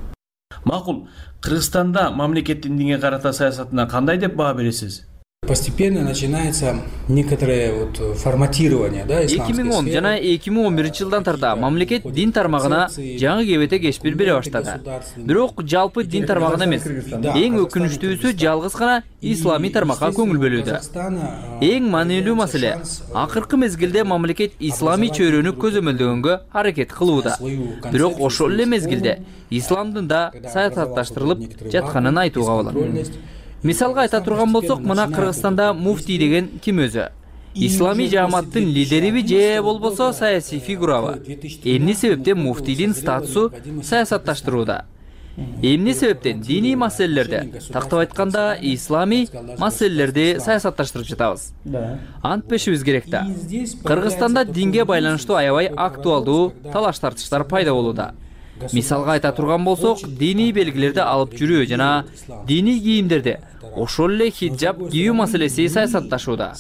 Макул, Кыргызстанда мамлекеттин динге карата саясатына кандай деп баа бересиз? Постепенно начинается некоторое форматирование, да, исламской 2010 жана 2011-жылдан тарта мамлекет дин тармагына жаңы кебете кечпир бере баштады. Бирок жалпы дин тармагына эмес, эң өкүнүчтүүсү жалгыз гана исламий тармакка көңүл бөлүүдө. Эң маанилүү маселе, акыркы мезгилде мамлекет исламий чөйрөнү көзөмөлдөгөнгө аракет кылууда. Бирок ошол эле мезгилде исламдын да саясатташтырылып жатканын айтууга болот. Мисалга айта турган болсок, мына Кыргызстанда муфтий деген ким өзү? Исламий жааматтын лидериби же болбосо саясий фигурабы? Эмне себептен муфтийдин статусу саясатташтырууда? Эмне себептен диний маселелерди, тактап айтканда исламий маселелерди саясатташтырып жатабыз? Антпешибиз керек да. Кыргызстанда динге байланыштуу аябай актуалдуу талаш-тартыштар пайда болууда. Мисалга айта турган болсок, диний белгилерди алып жүрүү жана диний кийимдерди, ошол эле хиджаб кийүү маселеси саясатташууда.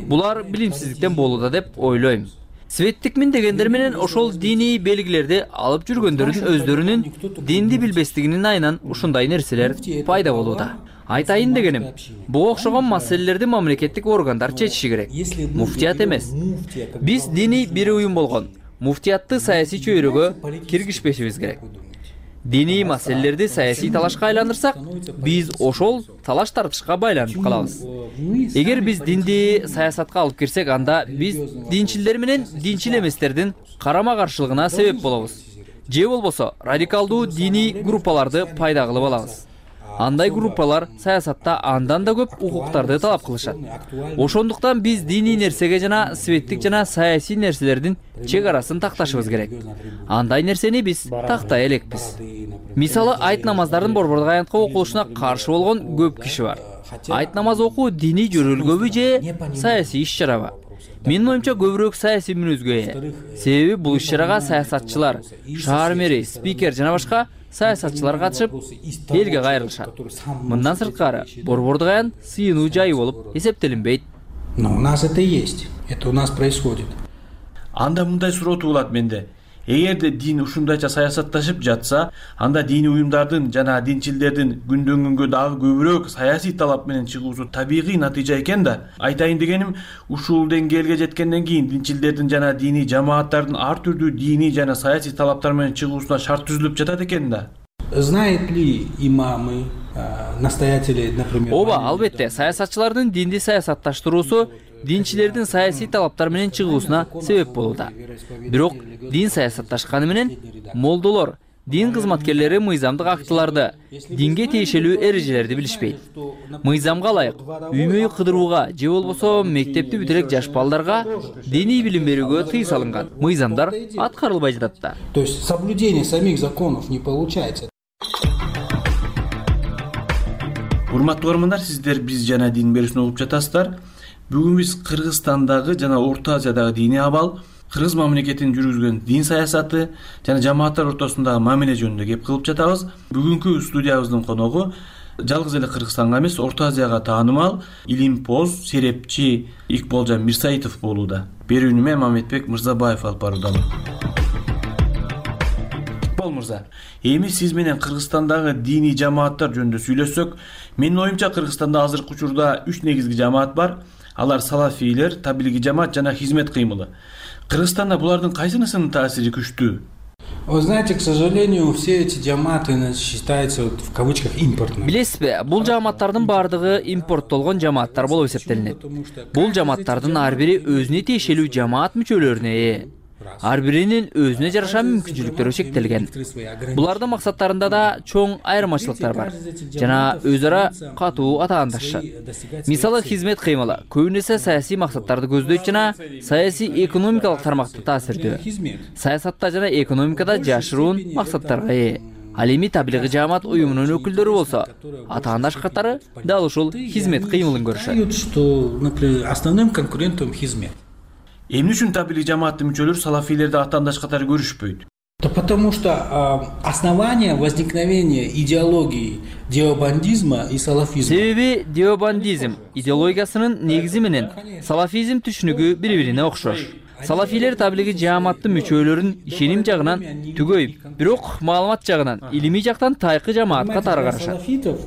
Булар билимсиздиктен болууда деп ойлойм. Светтикмин дегендер менен ошол диний белгилерди алып жүргөндөрдүн өздөрүнүн динди билбестигинин айынан ушундай нерселер пайда болууда. Айтайын дегеним, буга окшогон маселелерди мамлекеттик органдар чечиши керек. Муфтият эмес. Биз диний бир уюм болгон муфтиятты саясий чөйрөгө киргизбешибиз керек. Диний маселелерди саясий талашка айландырсак, биз ошол талаш-тартышка байланып калабыз. Эгер биз динди саясатка алып кирсек, анда биз динчилдер менен динчил эместердин карама-каршылыгына себеп болобуз. Же болбосо радикалдуу диний группаларды пайда кылып алабыз. Андай группалар саясатта андан да көп укуктарды талап кылышат. Ошондуктан биз диний нерсеге жана светтик жана саясий нерселердин чек арасын такташыбыз керек. Андай нерсени биз тактай элекпиз. Мисалы, айт намаздардын борбордук аянтка окулушуна каршы болгон көп киши бар. Айт намаз окуу диний жөрөлгөбү же саясий иш-чарабы? Менин оюмча көбүрөөк саясий мүнөзгө ээ. Себеби бул иш-чарага саясатчылар, шаар мэри, спикер жана башка саясатчылар катышып, элге кайрылышат. Мындан сырткары, борбордук аян сыйынуу жайы болуп эсептелинбейт. Но у нас это есть. Это у нас происходит. Анда мындай суроо туулат менде. Эгерде дин ушундайча саясатташып жатса, анда диний уюмдардын жана динчилдердин күндөн күнгө дагы көбүрөөк саясий талап менен чыгуусу табигый натыйжа экен да. Айтайын дегеним, ушул деңгээлге жеткенден кийин динчилдердин жана диний жамааттардын ар түрдүү диний жана саясий талаптар менен чыгуусуна шарт түзүлүп жатат экен да. Знает ли имамы, настоятели, например? Ооба, албетте, саясатчылардын динди саясатташтыруусу динчилердин саясий талаптар менен чыгуусуна себеп болууда. Бирок дин саясатташканы менен молдолор, дин кызматкерлери мыйзамдык актыларды, динге тиешелүү эрежелерди билишпейт. Мыйзамга ылайык үй-мөй кыдырууга же болбосо мектепти бүтүрек жаш балдарга диний билим берүүгө тыюу салынган. Мыйзамдар аткарылбай жатат да. То есть соблюдение самих законов не получается. Урматтуу көрөрмандар, сиздер биз жана дин берүүсүн угуп жатасыздар. Бүгүн биз Кыргызстандагы жана Орто Азиядагы диний абал, Кыргыз мамлекетинин жүргүзгөн дин саясаты жана жамааттар ортосундагы мамиле жөнүндө кеп кылып жатабыз. Бүгүнкү студиябыздын коногу жалгыз эле Кыргызстанга эмес, Орто Азияга таанымал илимпоз, серепчи Икболжан Мирсаитов болууда. Берүүнү мен Мамедбек Мырзабаев алып баруудамын. Икбол мырза, эми сиз менен Кыргызстандагы диний жамааттар жөнүндө сүйлөшсөк, менин оюмча Кыргызстанда азыркы учурда 3 негизги жамаат бар. Алар салафийлер, таблиги жамаат жана хизмет кыймылы. Кыргызстанда булардын кайсынысынын таасири күчтүү? Вы знаете, к сожалению, все эти жамааты считаются в кавычках импортными. Билесизби, бул жамааттардын баардыгы импорттолгон жамааттар болуп эсептелинет. Бул жамааттардын ар бири өзүнө тиешелүү жамаат мүчөлөрүнө ээ. Ар биринин өзүнө жараша мүмкүнчүлүктөрү чектелген. Булардын максаттарында да чоң айырмачылыктар бар жана өз ара катуу атаандашышат. Мисалы, хизмет кыймылы көбүнесе саясий максаттарды көздөйт жана саясий экономикалык тармакта таасирдүү. Саясатта жана экономикада жашыруун максаттарга ээ. Ал эми таблиги жамаат уюмунун өкүлдөрү болсо, атаандаш катары дал ушул хизмет кыймылын көрүшөт. Что, например, основным конкурентом хизмет. Эмне үчүн таблиги жамааттын мүчөлөрү салафийлерди атаандаш катары көрүшпөйт? Да потому что основание возникновения идеологии деобандизма и салафизма. Себеби деобандизм идеологиясынын негизи менен салафизм түшүнүгү бири-бирине окшош. Салафийлер таблиги жамааттын мүчөлөрүн ишеним жагынан түгөйүп, бирок маалымат жагынан, илимий жактан тайкы жамаатка таргарышат.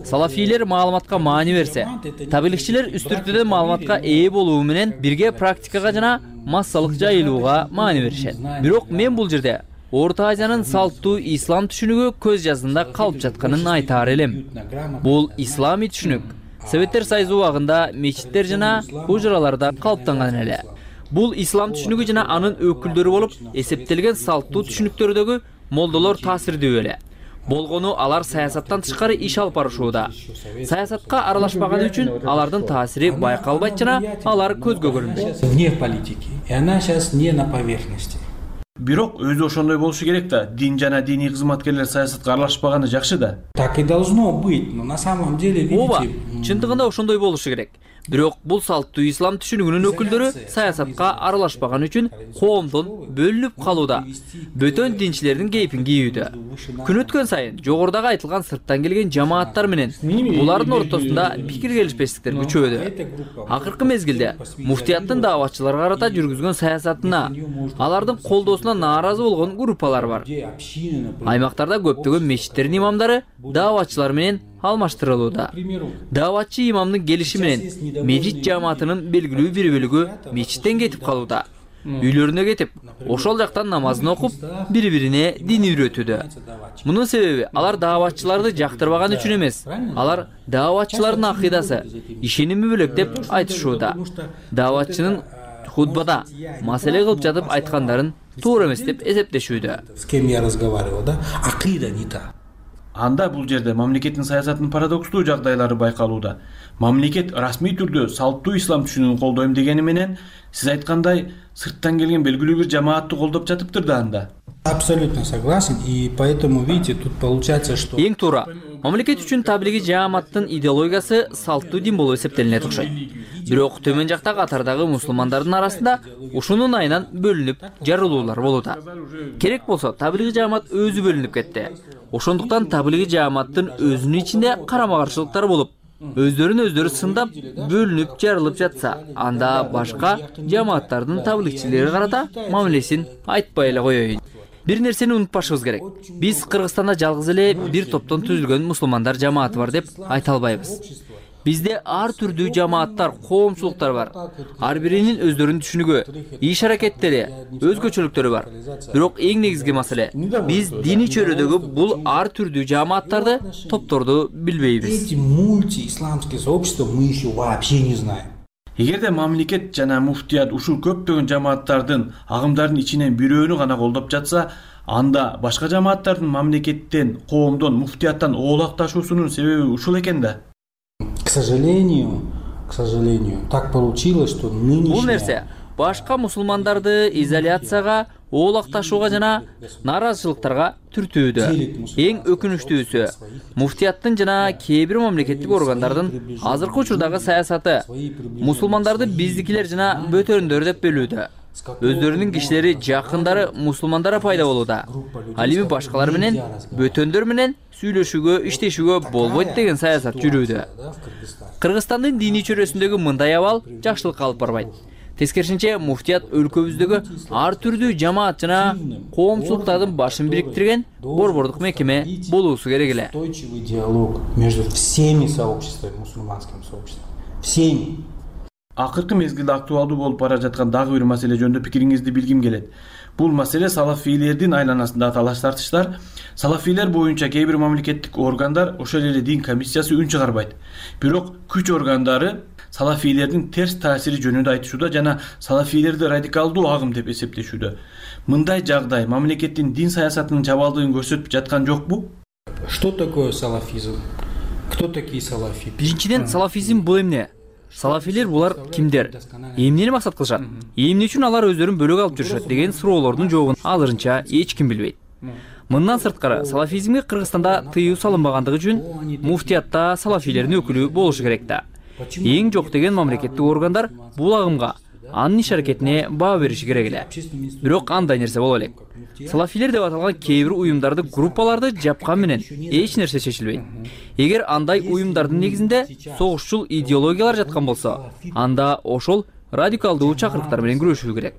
Салафийлер маалыматка маани берсе, таблигчилер үстүртүдө маалыматка ээ болуу менен бирге практикага жана массалык жайылууга маани беришет. Бирок мен бул жерде Орто Азиянын салттуу ислам түшүнүгү көз жазында калып жатканын айтаар элем. Бул исламий түшүнүк Советтер Союзу убагында мечиттер жана хужраларда калыптанган эле. Бул ислам түшүнүгү жана анын өкүлдөрү болуп эсептелген салттуу түшүнүктөрдөгү молдолор таасирдүү эле. болгону алар саясаттан тышкары иш алып барышууда. Саясатка аралашпаганы үчүн алардын таасири байкалбайт жана алар көзгө көрүнбөйт. Вне политики, и она сейчас не на поверхности. Бирок өзү ошондой болушу керек да. Дин жана диний кызматкерлер саясатка аралашпаганы жакшы да. Так и должно быть, но на самом деле, видите... Ооба, чындыгында ошондой болушу керек. Бирок бул салттуу ислам түшүнүгүнүн өкүлдөрү саясатка аралашпаган үчүн коомдон бөлүнүп калууда. Бөтөн динчилердин кейпин кийүүдө. Күн өткөн сайын жогорудагы айтылган сырттан келген жамааттар менен булардын ортосунда пикир келишпестиктер күчөдү. Акыркы мезгилде муфтияттын дааватчыларга карата жүргүзгөн саясатына, алардын колдоосуна нааразы болгон группалар бар. Аймактарда көптөгөн мечиттердин имамдары дааватчылар менен алмаштырылууда. Дааватчы имамдын келиши менен мечит жамаатынын белгилүү бир бөлүгү мечиттен кетип калууда. Үйлөрүнө кетип, ошол жактан намазын окуп, бири-бирине дин үйрөтүүдө. Мунун себеби алар дааватчыларды жактырбаган үчүн эмес. Алар дааватчылардын акыйдасы, ишеними бөлөк деп айтышууда. Дааватчынын хутбада маселе кылып жатып айткандарын туура эмес деп эсептешүүдө. С кем я разговаривал, да? Акыйда не та. Анда бул жерде мамлекеттин саясатынын парадокстуу жагдайлары байкалууда. Мамлекет расмий түрдө салттуу ислам түшүнүгүн колдойм дегени менен, сиз айткандай, сырттан келген белгилүү бир жамаатты колдоп жатыптыр да анда. Абсолютно согласен, и поэтому, видите, тут получается, что... Эң туура. Мамлекет үчүн таблиги жааматтын идеологиясы салттуу дин болуп эсептелинет окшойт. Бирок төмөн жакта катардагы мусулмандардын арасында ушунун айынан бөлүнүп жарылуулар болууда. Керек болсо, таблиги жаамат өзү бөлүнүп кетти. Ошондуктан таблиги жааматтын өзүнүн ичинде карама-каршылыктар болуп, өздөрүн-өздөрү сындап, бөлүнүп жарылып жатса, анда башка жааматтардын таблигчилерге карата мамилесин айтпай эле коеюн. Бир нерсени унутпашыбыз керек. Биз Кыргызстанда жалгыз эле бир топтон түзүлгөн мусулмандар жамааты бар деп айта албайбыз. Бизде ар түрдүү жамааттар, коомчулуктар бар. Ар биринин өздөрүнүн түшүнүгү, иш-аракеттери, өзгөчөлүктөрү бар. Бирок эң негизги маселе, биз диний чөйрөдөгү бул ар түрдүү жамааттарды, топторду билбейбиз. Эти мультиисламские сообщества мы еще вообще не знаем. Эгерде мамлекет жана муфтият ушул көптөгөн жамааттардын, агымдардын ичинен бирөөнү гана колдоп жатса, анда башка жамааттардын мамлекеттен, коомдон, муфтияттан оолакташуусунун себеби ушул экен да. К сожалению, так получилось, что нынешняя... Бул нерсе башка мусулмандарды изоляцияга, оолакташууга жана нааразычылыктарга түртүүдө. Эң өкүнүчтүүсү, муфтияттын жана кээ бир мамлекеттик органдардын азыркы учурдагы саясаты мусулмандарды биздикилер жана бөтөрүндөр деп бөлүүдө. Өздөрүнүн кишилери, жакындары мусулмандара пайда болууда. Ал эми башкалар менен, бөтөндөр менен сүйлөшүүгө, иштешүүгө болбойт деген саясат жүрүүдө. Кыргызстандын диний чөйрөсүндөгү мындай абал жакшылыкка алып барбайт. Тескерисинче, муфтият өлкөбүздөгү ар түрдүү жамаат жана коомчулуктардын башын бириктирген борбордук мекеме болуусу керек эле. Устойчивый диалог между всеми сообществами, мусульманским сообществом. Всеми. Акыркы мезгилде актуалдуу болуп бара жаткан дагы бир маселе жөнүндө пикириңизди билгим келет. Бул маселе салафийлердин айланасында талаш тартыштар. Салафийлер боюнча кээ бир мамлекеттик органдар, ошол эле дин комиссиясы үн чыгарбайт. Бирок күч органдары салафийлердин терс таасири жөнүндө айтышууда жана салафийлерди радикалдуу агым деп эсептешүүдө. Мындай жагдай мамлекеттин дин саясатынын жабалдыгын көрсөтүп жаткан жокпу? Что такое салафизм? Кто такие салафи? Биринчиден, салафизм бул эмне? Салафилер булар кимдер? Эмнени максат кылышат? Эмне үчүн алар өздөрүн бөлөк алып жүрүшөт деген суроолордун жообун азырынча эч ким билбейт. Мындан сырткары, салафизмге Кыргызстанда тыюу салынбагандыгы үчүн муфтиятта салафилердин өкүлү болушу керек да. Эң жок деген мамлекеттик органдар бул агымга, анын иш-аракетине баа бериши керек эле. Бирок андай нерсе боло элек. Салафилер деп аталган кээ бир уюмдарды, группаларды жапкан менен эч нерсе чечилбейт. Эгер андай уюмдардын негизинде согушчул идеологиялар жаткан болсо, анда ошол радикалдуу чакырыктар менен күрөшүү керек.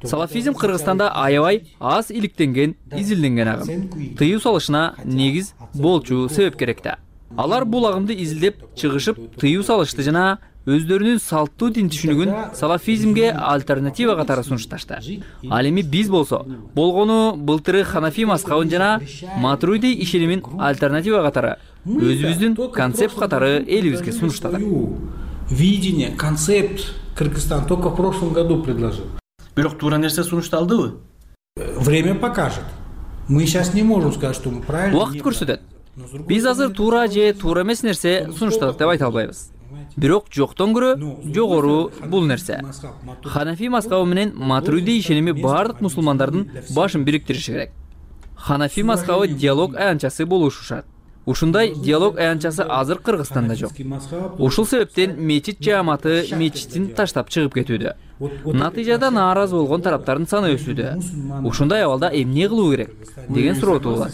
Салафизм Кыргызстанда аябай аз иликтенген, изилденген агым. Тыюу салышына негиз болчу себеп керек да. Алар бул агымды изилдеп, чыгышып, тыюу салышты жана өздөрүнүн салттуу дин түшүнүгүн салафизмге альтернатива катары сунушташты. Ал эми биз болсо, болгону былтыры Ханафи мазхабын жана Матуриди ишенимин альтернатива катары өзүбүздүн концепт катары элибизге сунуштадык. Видение, концепт Кыргызстан только в прошлом году предложил. Бирок туура нерсе сунушталдыбы? Время покажет. Мы сейчас не можем сказать, что мы правильно. Убакыт көрсөтөт. Биз азыр туура же туура эмес нерсе сунуштадык деп айта албайбыз. Бирок жоктон көрө жогору бул нерсе. Ханафи мазхабы менен Матуриди ишеними бардык мусулмандардын башын бириктириши керек. Ханафи мазхабы диалог аянтчасы болушу шарт. Ушундай диалог аянтчасы азыр Кыргызстанда жок. Ушул себептен мечит жааматы мечитин таштап чыгып кетүүдө. Натыйжада нааразы болгон тараптардын саны өсүүдө. Ушундай абалда эмне кылуу керек деген суроо туулат.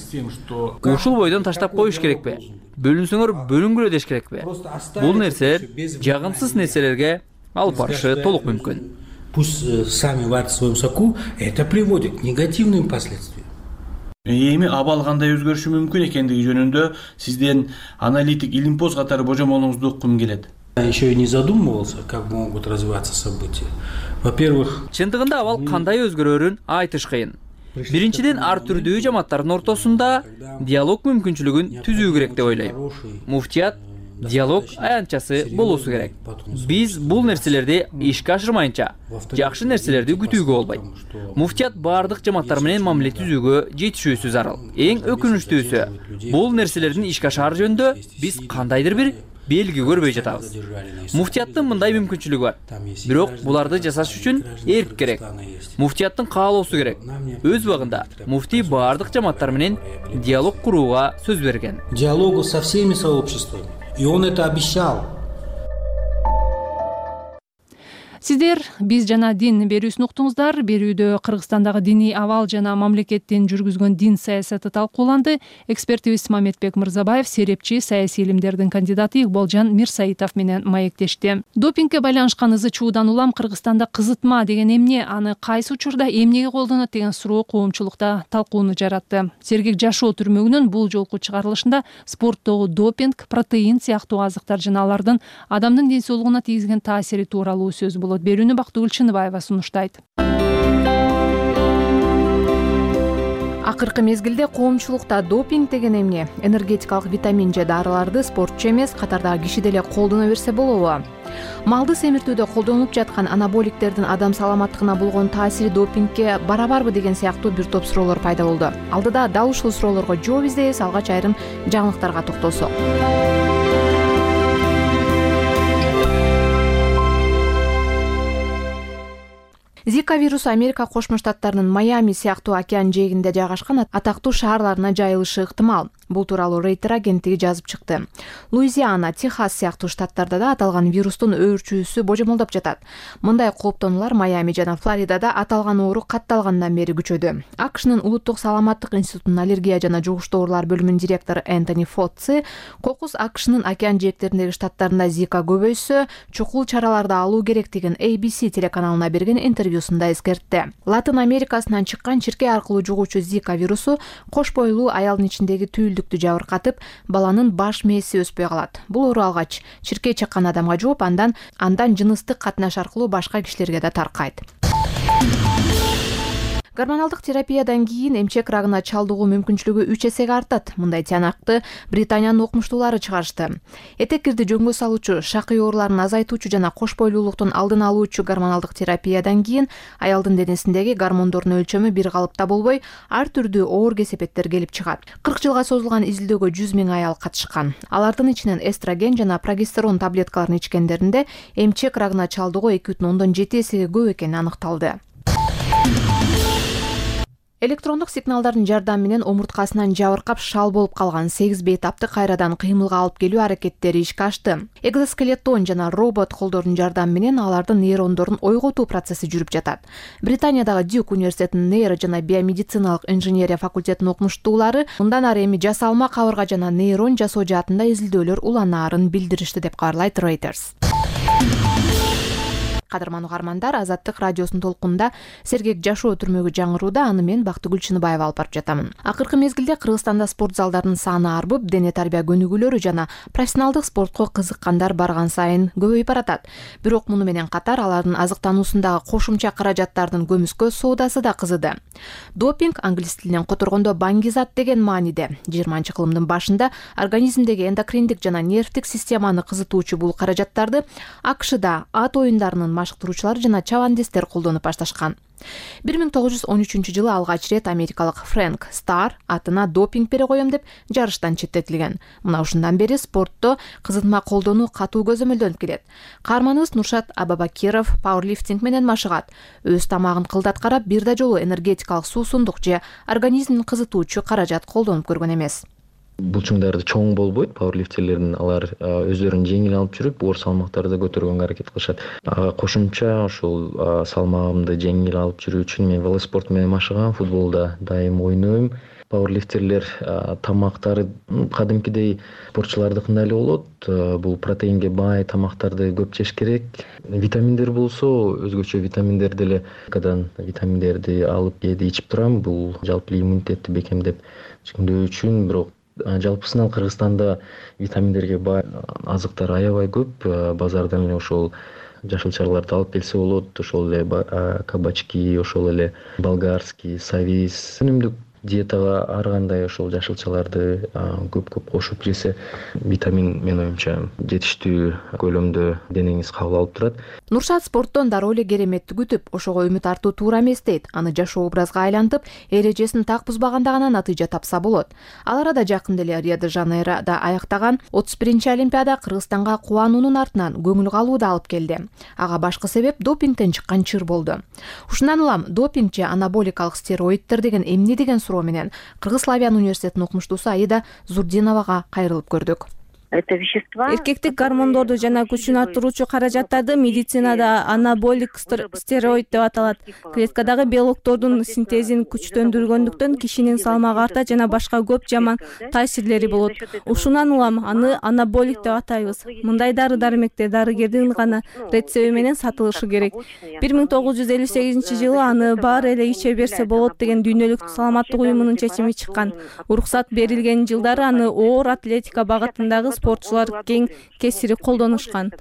Ушул бойдон таштап коюш керекпи? Бөлүнсөңөр бөлүнгүлө деш керекпи? Бул нерселер жагымсыз нерселерге алып барышы толук мүмкүн. Пусть сами варят в своем соку, это приводит к негативным последствиям. Эми абал кандай өзгөрүшү мүмкүн экендиги жөнүндө сизден аналитик илимпоз катары божомолуңузду уккум келет. Еще и не задумывался, как могут развиваться события. Во-первых, чындыгында абал кандай өзгөрөрүн айтыш кыйын. Биринчиден, ар түрдүү жамааттардын ортосунда диалог мүмкүнчүлүгүн түзүү керек деп ойлойм. Муфтият диалог аянтчасы болуусу керек. Биз бул нерселерди ишке ашырмайынча жакшы нерселерди күтүүгө болбойт. Муфтият бардык жамааттар менен мамиле түзүүгө жетишүүсү зарыл. Эң өкүнүчтүүсү, бул нерселердин ишке ашаар жөнүндө биз кандайдыр бир белги көрбөй жатабыз. Муфтияттын мындай мүмкүнчүлүгү бар. Бирок буларды жасаш үчүн эрк керек. Муфтияттын каалоосу керек. Өз убагында муфтий бардык жамааттар менен диалог курууга сөз берген. Диалогу со всеми сообществами. И он это обещал. Сиздер биз жана дин берүүсүн уктуңуздар. Берүүдө Кыргызстандагы диний абал жана мамлекеттин жүргүзгөн дин саясаты талкууланды. Экспертибиз Мамедбек Мырзабаев серепчи, саясий илимдердин кандидаты Игболжан Мирсаитов менен маектешти. Допингге байланышкан ызы чуудан улам Кыргызстанда кызытма деген эмне, аны кайсы учурда эмнеге колдонот деген суроо коомчулукта талкууну жаратты. Сергек Жашоо түрмөгүнүн бул жолку чыгарылышында спорттогу допинг, протеин сыяктуу азыктар жана алардын адамдын ден соолугуна тийгизген таасири тууралуу сөз болот. Берүүнү Бактыгүл Чыныбаева сунуштайт. Акыркы мезгилде коомчулукта допинг деген эмне, энергетикалык витамин же дарыларды спортчу эмес, катардагы киши деле колдоно берсе болобу? Малды семиртүүдө колдонулуп жаткан анаболиктердин адам саламаттыгына болгон таасири допингге барабарбы деген сыяктуу бир топ суроолор пайда болду. Алдыда дал ушул суроолорго жооп издейбиз, алгач айрым жаңылыктарга токтолсок. Зика вирусу Америка Кошмо Штаттарынын Майами сыяктуу океан жээгинде жайгашкан атактуу шаарларына жайылышы ыктымал. Бул тууралуу Рейтер агенттиги жазып чыкты. Луизиана, Техас сыяктуу штаттарда да аталган вирустун өөрчүүсү божомолдоп жатат. Мындай кооптонуулар Майами жана Флоридада аталган оору катталгандан бери күчөдү. АКШнын улуттук саламаттык институтунун аллергия жана жугуштуу оорулар бөлүмүнүн директору Энтони Фоци кокус АКШнын океан жээктериндеги штаттарында Зика көбөйсө, чукул чараларды алуу керектигин ABC телеканалына берген интервьюсунда эскертти. Латын Америкасынан чыккан чиркей аркылуу жугуучу Зика вирусу кош бойлуу аялдын ичиндеги түйүлдүктү жабыркатып, баланын баш мээси өспөй калат. Бул оору алгач чиркей чаккан адамга жугуп, андан жыныстык катнаш аркылуу башка кишилерге да таркайт. Гормоналдык терапиядан кийин эмчек рагына чалдыгуу мүмкүнчүлүгү 3 эсеге артат. Мындай тыянакты Британиянын окумуштуулары чыгарышты. Этеккирди жөнгө салуучу, шакый ооруларын азайтуучу жана кош бойлуулуктун алдын алуучу гормоналдык терапиядан кийин аялдын денесиндеги гормондордун өлчөмү бир калыпта болбой, ар түрдүү оор кесепеттер келип чыгат. 40 жылга созулган изилдөөгө 100 000 аял катышкан. Алардын ичинен эстроген жана прогестерон таблеткаларын ичкендеринде эмчек рагына чалдыгуу 2,7 эсеге көп экени аныкталды. Электрондук сигналдардын жардамы менен омурткасынан жабыркап шал болуп калган 8 бейтапты кайрадан кыймылга алып келүү аракеттери ишке ашты. Экзоскелетон жана робот колдордун жардамы менен алардын нейрондорун ойготуу процесси жүрүп жатат. Британиядагы Дюк университетинин нейро жана биомедициналык инженерия факультетинин окумуштуулары мындан ары эми жасалма кабырга жана нейрон жасоо жаатында изилдөөлөр уланаарын билдиришти деп кабарлайт Reuters. Кадырман угармандар, Азаттык радиосунун толкунунда Сергек Жашоо түрмөгү жаңырууда, аны мен Бактыгүл Чыныбаева алып барып жатамын. Акыркы мезгилде Кыргызстанда спорт залдарынын саны арбып, дене тарбия көнүгүүлөрү жана профессионалдык спортко кызыккандар барган сайын көбөйүп баратат. Бирок муну менен катар алардын азыктануусундагы кошумча каражаттардын көмүскө соодасы да кызыды. Допинг англис тилинен которгондо баңгизат деген мааниде. 20-кылымдын башында организмдеги эндокриндик жана нервдик системаны кызытуучу бул каражаттарды АКШда ат оюндарынын машыктыруучулар жана чабандестер колдонуп башташкан. 1913 алгач рет америкалык Фрэнк Стар атына допинг бере коем деп жарыштан четтетилген. Мына ушундан бери спортто кызытма колдонуу катуу көзөмөлдөнүп келет. Каарманыбыз Нуршат Абабакиров пауэрлифтинг менен машыгат. Өз тамагын кылдат карап бир да жолу энергетикалык суусундук же организмин кызытуучу каражат колдонуп көргөн эмес. Булчуңдарды чоң болбойт, пауэрлифтерлердин алар өздөрүн жеңил алып жүрүп, оор салмактарды көтөргөнгө аракет кылышат. Кошумча ошол салмагымды жеңил алып жүрүү үчүн мен велоспорт менен машыгам, футболда дайым ойнойм. Пауэрлифтерлер тамактары кадимкидей спортчулардыкындай эле болот. Бул протеинге бай тамактарды көп жеш керек. Витаминдер болсо, өзгөчө витаминдер деле кадан витаминдерди алып кээде ичип турам. Бул жалпы иммунитетти бекемдеп чыңдоо үчүн, бирок жалпысынан Кыргызстанда витаминдерге бай азыктар аябай көп. Базардан эле ошол жашылчаларды алып келсе болот. Ошол эле кабачки, ошол эле болгарский, савис. Өнүмдүк диетага ар кандай ошол жашылчаларды көп кошуп жесе, витамин менин оюмча жетиштүү көлөмдө денеңиз кабыл алып турат. Нуршат спорттон дароо эле кереметти күтүп, ошого үмүт артуу туура эмес дейт. Аны жашоо образга айлантып, эрежесин так бузбаганда гана натыйжа тапса болот. Ал арада жакында эле Рио-де-Жанейрода аяктаган 31-олимпиада Кыргызстанга кубануунун артынан көңүл калууду алып келди. Ага башкы себеп допингден чыккан чыр болду. Ушундан улам допинг же анаболикалык стероиддер деген эмне деген суроо менен Кыргыз Славян университетинин окумуштуусу Аида Зурдиновага кайрылып көрдүк. Это вещества. Эркектик гормондорду жана күчүн арттыруучу каражаттарды медицинада анаболик стероид деп аталат. Клеткадагы белоктордун синтезин күчтөндүргөндүктөн кишинин салмагы арта жана башка көп жаман таасирлери болот. Ушундан улам аны анаболик деп атайбыз. Мындай дары-дармектер дарыгердин гана рецепти менен сатылышы керек. 1958-жылы аны баары эле иче берсе болот деген дүйнөлүк саламаттык уюмунун чечими чыккан. Уруксат берилген жылдары аны оор атлетика багытындагы спортчулар кең кесири колдонушкан.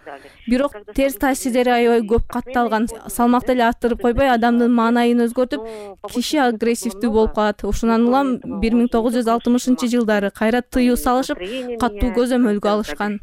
Бирок терс таасирлери аябай көп катталган. Салмакты эле арттырып койбой, адамдын маанайын өзгөртүп, киши агрессивдүү болуп калат. Ошондан улам 1960-жылдары кайра тыюу салышып, катуу көзөмөлгө алышкан.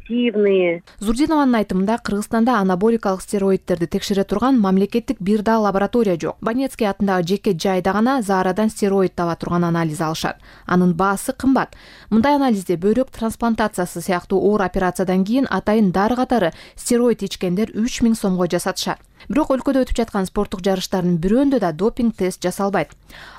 Зурдинованын айтымында Кыргызстанда анаболикалык стероиддерди текшере турган мамлекеттик бир да лаборатория жок. Банецкий атындагы жеке жайда гана заарадан стероид таба турган анализ алышат. Анын баасы кымбат. Мындай анализде бөйрөк трансплантациясы сыяктуу оор операциядан кийин атайын дары катары стероид ичкендер 3000 сомго жасатышат. Бирок өлкөдө өтүп жаткан спорттук жарыштардын бирөөндө да допинг тест жасалбайт.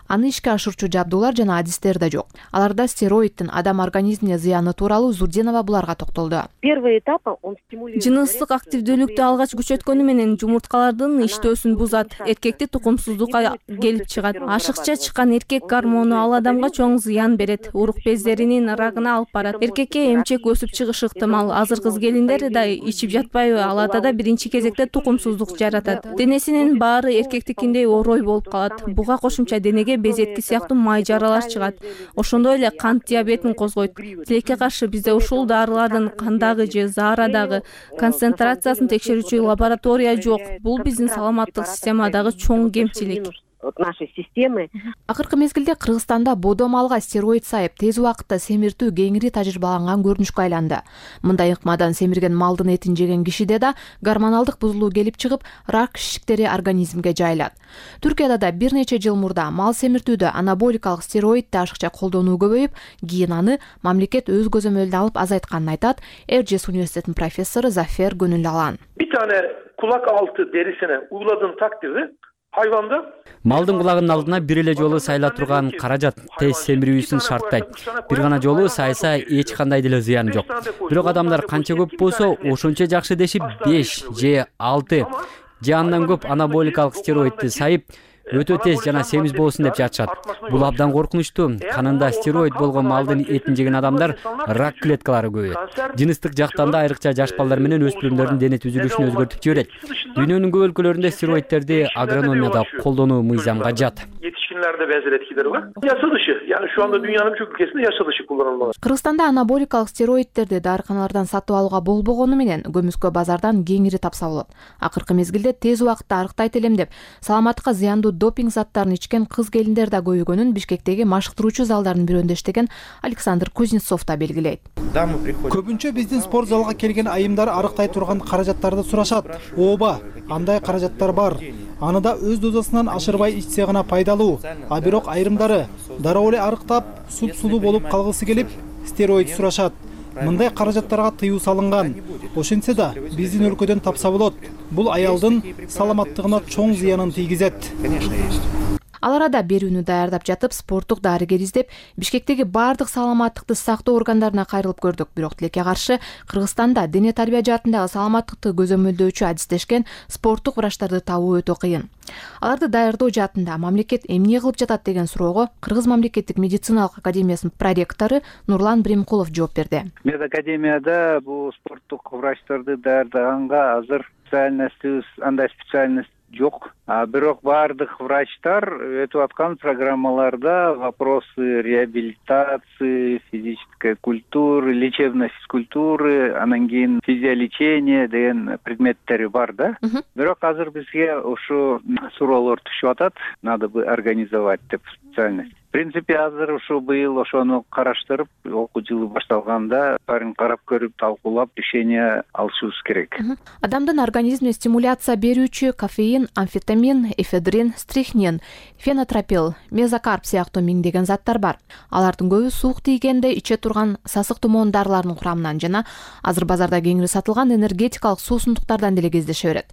Аны ишке ашырчу жабдуулар жана адистер да жок. Аларда стероиддин адам организмине зыяны тууралуу Зурдинова буларга токтолду. Жыныстык активдүүлүктү алгач күчөткөнү менен жумурткалардын иштөөсүн бузат, эркекти тукумсуздукка келип чыгат. Ашыкча чыккан эркек гормону ал адамга чоң зыян берет, урук бездеринин рагына алып барат. Эркекке эмчек өсүп чыгышы ыктымал. Азыр кыз келиндер да ичип жатпайбы, аларда да биринчи кезекте тукумсуздук жаратат. Денесинин баары эркектикиндей орой болуп калат. Буга кошумча денеге безетки сыяктуу май жаралар чыгат. Ошондой эле кант диабетин козгойт. Тилекке каршы бизде ушул дарылардын кандагы же заарадагы концентрациясын текшерүүчү лаборатория жок. Бул биздин саламаттык системадагы чоң кемчилик. Нашей системы. Акыркы мезгилде Кыргызстанда бодо малга стероид сайып тез убакытта семиртүү кеңири тажрыйбаланган көрүнүшкө айланды. Мындай ыкмадан семирген малдын этин жеген кишиде да гормоналдык бузулуу келип чыгып, рак шишиктери организмге жайылат. Түркияда да бир нече жыл мурда мал семиртүүдө анаболикалык стероидди ашыкча колдонуу көбөйүп, кийин аны мамлекет өз көзөмөлүнө алып азайтканын айтат Эрджес университетинин профессору Зафер Гөнүлалан. Bir tane kulak altı derisine uyguladığın takdirde hayvanda малдын кулагынын алдына бир эле жолу сайыла турган каражат тез семирүүсүн шарттайт. Бир гана жолу сайса эч кандай деле зыяны жок. Бирок адамдар канча көп болсо, ошончо жакшы дешип 5 же 6 же андан көп анаболикалык стероидди сайып өтө тез жана семиз болсун деп жатышат. Бул абдан коркунучтуу. Канында стероид болгон малдын этин жеген адамдар рак клеткалары көбөйөт. Жыныстык жактан да айрыкча жаш балдар менен өспүрүмдөрдүн дене түзүлүшүн өзгөртүп жиберет. Дүйнөнүн көп өлкөлөрүндө стероиддерди агрономияда колдонуу мыйзамга жат. кичинелерде бензелеткилерби. Ясалышы, yani şu anda dünyanın birçok ülkesinde yasalışı kullanılmalı. Кыргызстанда анаболикалык стероидтерди дарыканалардан сатып алууга болбогону менен көмүскө базардан кеңири тапса болот. Акыркы мезгилде тез убакытта арыктайт элем деп саламаттыкка зыяндуу допинг заттарын ичкен кыз келиндер да көбөйгөнүн Бишкектеги машыктыруучу залдардын бирөөндө иштеген Александр Кузнецов да белгилейт. Көбүнчө биздин спорт залга келген айымдар арыктай турган каражаттарды сурашат. Ооба, андай каражаттар бар. Аны да өз дозасынан ашырбай ичсе гана пайдалуу. А бирок айрымдары дароо эле арыктап, суп-сулуу болуп калгысы келип, стероид сурашат. Мындай каражаттарга тыюу салынган. Ошентсе да биздин өлкөдөн тапса болот. Бул аялдын саламаттыгына чоң зыянын тийгизет. Ал арада берүүнү даярдап жатып, спорттук дарыгер издеп, Бишкектеги бардык саламаттыкты сактоо органдарына кайрылып көрдүк. Бирок тилекке каршы Кыргызстанда дене тарбия жаатындагы саламаттыкты көзөмөлдөөчү адистешкен спорттук врачтарды табуу өтө кыйын. Аларды даярдоо жаатында мамлекет эмне кылып жатат деген суроого Кыргыз мамлекеттик медициналык академиясынын проректору Нурлан Бремкулов жооп берди. Медакадемияда бул спорттук врачтарды даярдаганга азыр андай специальность жок. Бирок бардык врачтар өтүп аткан программаларда вопросы реабилитации, физической культуры, лечебной физкультуры, анан кийин физиолечение деген предметтери бар да. Бирок азыр бизге ушу суроолор түшүп атат. Надо бы организовать деп специальность. В принципе, азыр ушу быйыл ошону караштырып, окуу жылы башталганда баарын карап көрүп, талкуулап, решение алышыбыз керек. Адамдын организмине стимуляция берүүчү кофеин, амфетамин, эфедрин, стрихнин, фенотропил, мезокарп сыяктуу миңдеген заттар бар. Алардын көбү суук тийгенде иче турган сасык тумоон дарыларынын курамынан жана азыр базарда кеңири сатылган энергетикалык суусундуктардан деле кездеше берет.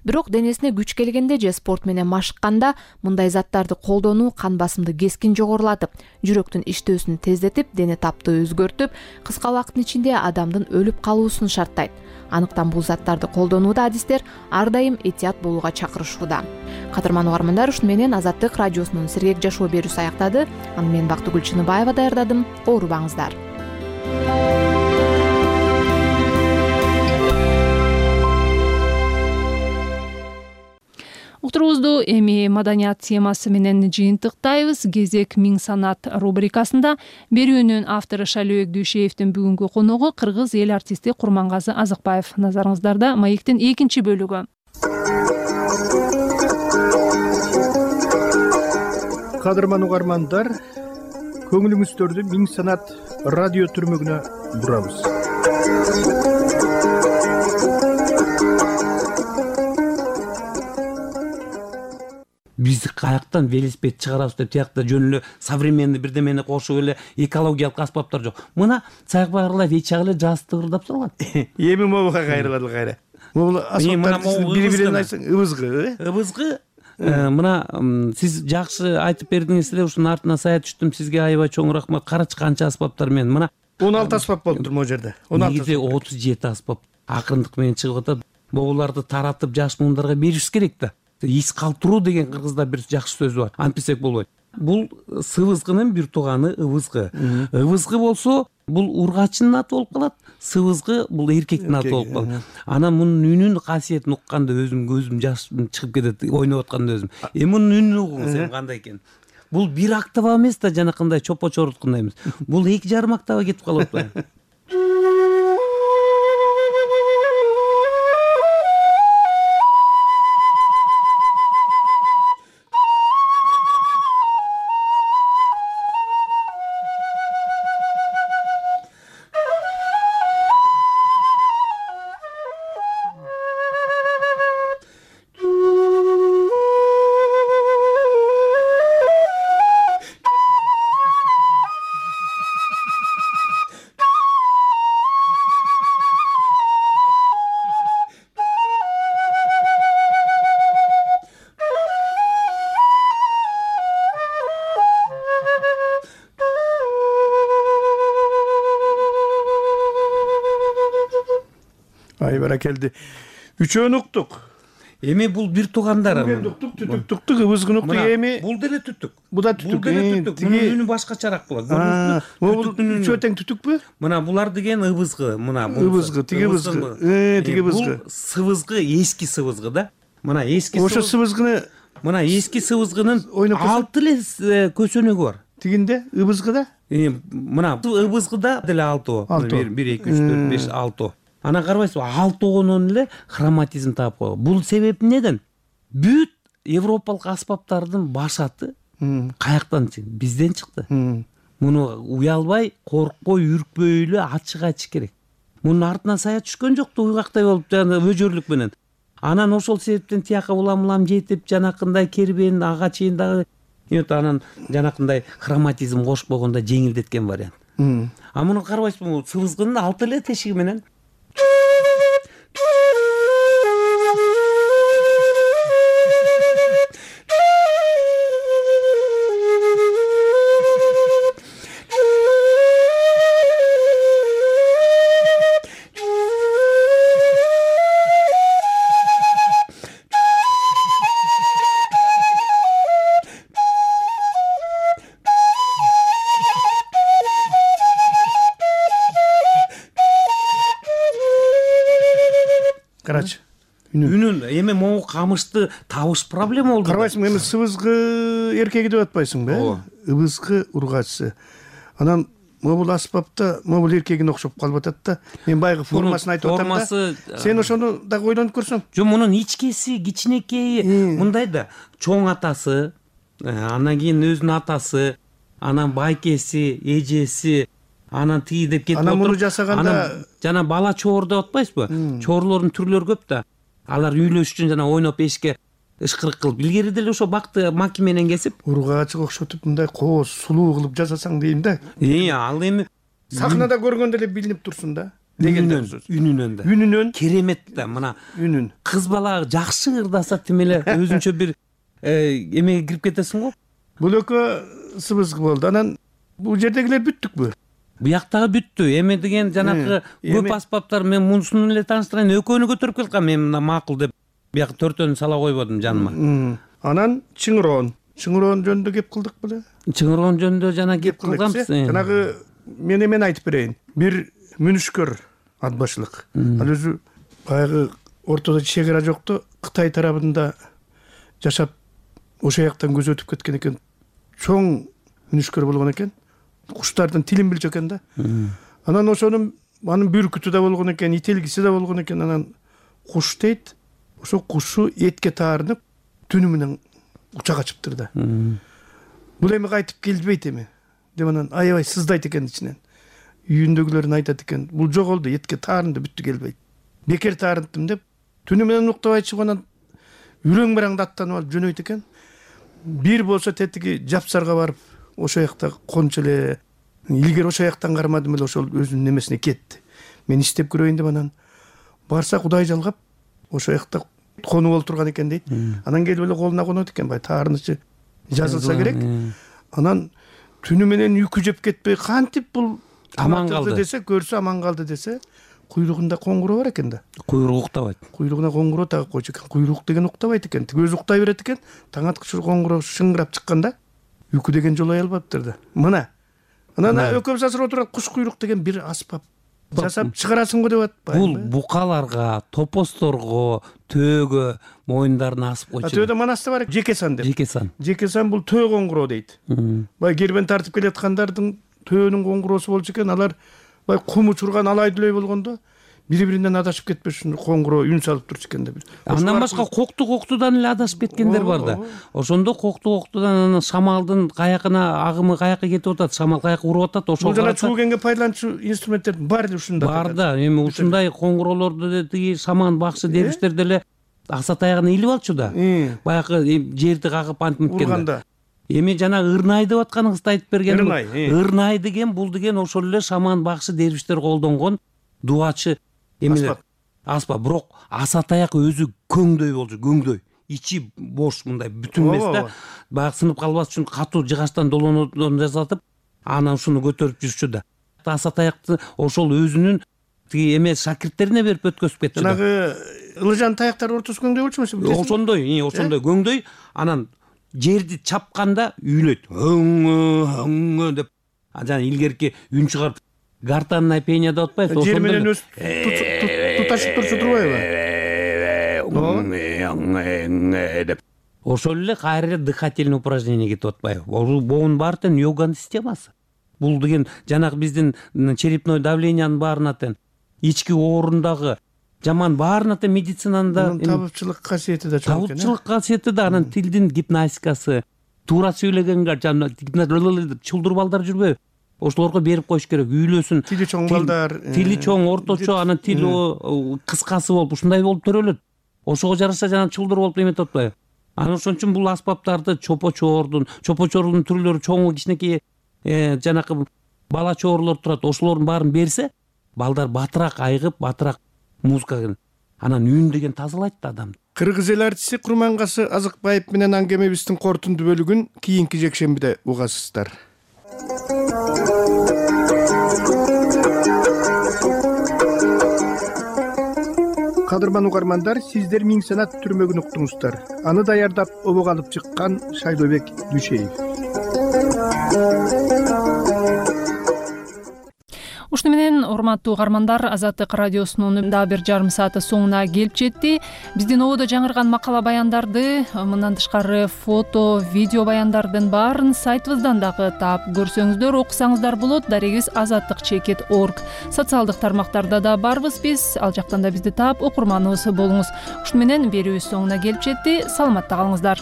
Бирок денесине күч келгенде же спорт менен машыкканда мындай заттарды колдонуу кан басымды кескин жогорулатып, жүрөктүн иштөөсүн тездетип, дене таптыгы өзгөртүп, кыска убакыттын ичинде адамдын өлүп калуусун шарттайт. Анықтан бул заттарды колдонууда адистер ар дайым этият болууга чакырышууда. Кадырман угармандар, ушуну менен Азаттык радиосунун сергек жашоо берүүсү аяктады. Аны мен Бактыгүл Чыныбаева даярдадым. Оорубаңыздар. Уктуруубузду эми маданият темасы менен жыйынтыктайбыз. Кезек Миң санат рубрикасында берүүнүн автору Шалөөк Дүйшеевдин бүгүнкү коногу кыргыз эл артисти Курмангазы Азыкбаев. Назарыңыздарда маектин экинчи бөлүгү. Кадырман угармандар, көңүлүңүздөрдү Миң санат радио түрмөгүнө бурабыз. Биз каяктан велосипед чыгарабыз деп тиякта жөн эле современный бирдемени кошуп эле экологиялык аспаптар жок. Мына Цайкбагырлар вечак эле жаздырдап салган. Эми могуга кайрылады кайра. Могул аспаптар бири-бирин айтсаң ыбызгы, ыбызгы. Мына сиз жакшы айтып бердиңиз эле, ушунун артына сая түштүм. Сизге аябай чоң рахмат. Карачы канча аспаптар менен. Мына 16 аспап болуптур могу жерде. 16. 37 аспап. Акырындык менен чыгып атат. Могуларды таратып жаш муундарга бериш керек да. Ис калтыруу деген кыргызда бир жакшы сөз бар. Антпесек болбойт. Бул сыбызгынын бир тууганы ыбызгы. Ыбызгы болсо бул ургачынын аты болуп калат. Сыбызгы бул эркектин аты болуп калат. Анан мунун үнүнүн касиетин укканда өзүм көзүм жаш чыгып кетет, ойноп атканда өзүм. Мунун үнүн угуңуз кандай экен? Бул бир октава эмес да, жанакындай чопо-чоруткундай эмес. Бул 2,5 октава кетип калып атпайбы? Баракелди. Үчөөнү уктук. Эми бул бир туугандар. Түтүк туктук, ыбызгын уктук эми. Бул деле түтүк. Бу да түтүк. Мунун үнү башкачараак болот. Бул үчөө тең түтүкпү? Мына булар деген ыбызгы, мына ыбызгы, тиги ыбызгы. Тиги ыбызгы. Бул сыбызгы, эски сыбызгы да. Мына эски сыбызгы. Ошо сыбызгыны мына эски сыбызгынын 6 эле көсөнөгү бар. Тигинде ыбызгыда? Мына ыбызгыда деле 6. 1 2 3 4 5 6. Ана карабайсызбы, 6-онон эле хроматизм таап койгон. Бул себеп неден? Бүт европалык аспаптардын башаты каяктан чыкты? Бизден чыкты. Муну уялбай, коркпой, үркпөй эле ачык айтыш керек. Мунун артынан сая түшкөн жокту, уйгактай болуп жана өжөрлүк менен. Анан ошол себептен тияка улам жетип, жанакындай кербен ага чейин дагы анан жанакындай хроматизм кошпогондо жеңилдеткен вариант. А муну карабайсызбы, сыбызгынын 6 эле тешиги менен үнүн эми могу камышты табыш проблема болду. Карабайсыңбы, эми сыбызгы эркеги деп атпайсыңбы? Ыбызгы ургачысы. Анан могул аспапта могул эркегине окшоп калып атат да. Мен байгы формасын айтып атам да. Сен ошону дагы ойлонуп көрсөң. Жок, мунун ичкеси, кичинекейи мындай да. Чоң атасы, анан кийин өзүнүн атасы, анан байкеси, эжеси, анан тиги деп кетип отуруп. Анан муну жасаганда жана бала чоор деп атпайсызбы? Чоорлордун түрлөрү көп да. Алар үйлөш үчүн жана ойноп эшикке ышкырык кылып, илгери деле ошо бакты маки менен кесип, ургачыга окшотуп мындай кооз, сулуу кылып жасасаң дейм да. Ал эми сахнада көргөндө эле билинип турсун да. Үнүнөн да. Үнүнөн керемет да. Мына үнүн. Кыз бала жакшы ырдаса тим эле өзүнчө бир эмеге кирип кетесиң го. Бул экөө сыбызгы болду. Анан бул жердегилер бүттүкпү? Буяктагы бүттү. Эми деген жанакы көп аспаптар, мен мунусун эле тааныштырайын, экөөнү көтөрүп келкам, мен мына макул деп буяк 4-төнү сала койбодум жаныма. Анан чыңыроон жөнүндө кеп кылдык беле? Чыңыроон жөнүндө жана кеп кылганбыз. Жанагы мен эмен айтып берейин. Бир мүнүшкөр атбашылык. Ал өзү баягы ортодо чек ара жокту Кытай тарабында жашап, ошол жактан көзү өтүп кеткен экен. Чоң мүнүшкөр болгон экен. Куштардын тилин билчү экен да. Анан ошонун анын бүркүтү да болгон экен, ителгиси да болгон экен. Анан куш дейт, ошо кушу этке таарынып, түнү менен учак ачыптыр да. Бул эми кайтып келбейт эми деп анан аябай сыздайт экен ичинен. Үйүндөгүлөрүн айтат экен, бул жоголду, этке таарынды, бүттү келбейт. Бекер таарынтым деп түнү менен уктабай чыгып анан үрөң бараңды аттанып алып жөнөйт экен. Бир болсо тетиги Жапсарга барып, ошол жакта кончу эле, илгери ошол жактан кармадым эле, ошол өзүнүн немесине кетти. Мен иштеп көрөйүн деп анан барса Кудай жалгап ошол жакта конуп олтурган экен дейт. Анан келип эле колуна конот экен, бай таарынычы жазылса керек. Анан түнү менен үйкү жеп кетпей кантип бул аман калды десе, көрсө аман калды десе, куйругунда коңгуроо бар экен да. Куйругу уктабайт. Куйругуна коңгуроо тагып койчу экен. Куйрук деген уктабайт экен. Өзү уктай берет экен. Таң аткычы коңгуроо шыңгырап чыкканда үйкү деген жолой албаптыр да. Мына. Анан экөөбүз азыр отурат, куш куйрук деген бир аспап жасап чыгарасың го деп атпайбы? Бул букаларга, топосторго, төөгө моюндарын асып койчу. Төөдө манаста бар, жекесан деп. Жекесан бул төө коңгуроо дейт. Бай кербен тартып келаткандардын төөнүн коңгуроосу болчу экен. Алар бай кум учурган алай дүлөй болгондо бири-биринен адашып кетпеш үчүн коңгуроо үн салып турчу экен да. Андан башка коктудан эле адашып кеткендер бар да. Ошондо коктудан шамалдын каякына агымы каяка кетип атат, шамал каяка уруп атат, ошол жана чуугенге пайдаланчу инструменттердин баары ушунда бар да. Эми ушундай коңгуроолорду тиги шаман бакшы дервиштер деле акса таягына илип алчу да. Баягы жерди кагып антип кеткен. Эми жана ырнай деп атканыңызды айтып бергеним. Ырнай деген бул деген ошол эле шаман бакшы дервиштер колдонгон дуачы эмелер. Аспап, бирок аса таяк өзү көңдөй болчу, көңдөй. Ичи бош, мындай бүтүн эмес да. Баягы сынып калбас үчүн катуу жыгачтан долонодон жасатып, анан ушуну көтөрүп жүрчү да. Аса таякты ошол өзүнүн тиги эмес шакирттерине берип өткөзүп кетчү да. Жанагы ылыжан таяктар ортосу көңдөй болчу эмеспи? Ошондой көңдөй. Анан жерди чапканда үйлөйт. Өңө деп. Жана илгерки үн чыгарып гортанное пение деп атпайбы? Жер менен өз туташып турчу турбайбы? деп. ошол эле кайра эле дыхательный упражнение кетип атпайбы? Буунун баары тең йоганын системасы. Бул деген жанагы биздин черепной давлениянын баарына тең, ички оорундагы жаман баарына тең медицинада табытчылык касиети да чоң экен. Табытчылык касиети да, анан тилдин гимнастикасы, туура сүйлөгөнгө чулдур балдар жүрбөйбү? Ошолорго берип коюш керек, үйлөсүн. Тили чоң балдар, тили чоң, орточо, анан тили кыскасы болуп, ушундай болуп төрөлөт. Ошого жараша жана чулдур болуп эметип атпайбы? Анан ошон үчүн бул аспаптарды чопочордун түрлөрү чоңу, кичинекей жанакы бала чоорлор турат, ошолордун баарын берсе, балдар батыраак айыгып, батыраак музыкага анан үн деген тазалайт да адамды. Кыргыз эл артисти Курмангасы Азыкбаев менен аңгемебиздин корутунду бөлүгүн кийинки жекшембиде угасыздар. Кадырман угармандар, сиздер Миң санат түрмөгүн уктуңуздар. Аны даярдап обого алып чыккан Шайлообек Дүйшеев. Ушуну менен урматтуу угармандар, Азаттык радиосунун дагы бир жарым сааты соңуна келип жетти. Биздин ободо жаңырган макала баяндарды, мындан тышкары фото, видео баяндардын баарын сайтыбыздан дагы таап көрсөңүздөр, окусаңыздар болот. Дарегибиз azattik.org. Социалдык тармактарда да барбыз биз. Ал жактан да бизди таап окурманыбыз болуңуз. Ушуну менен берүүбүз соңуна келип жетти. Саламатта калыңыздар.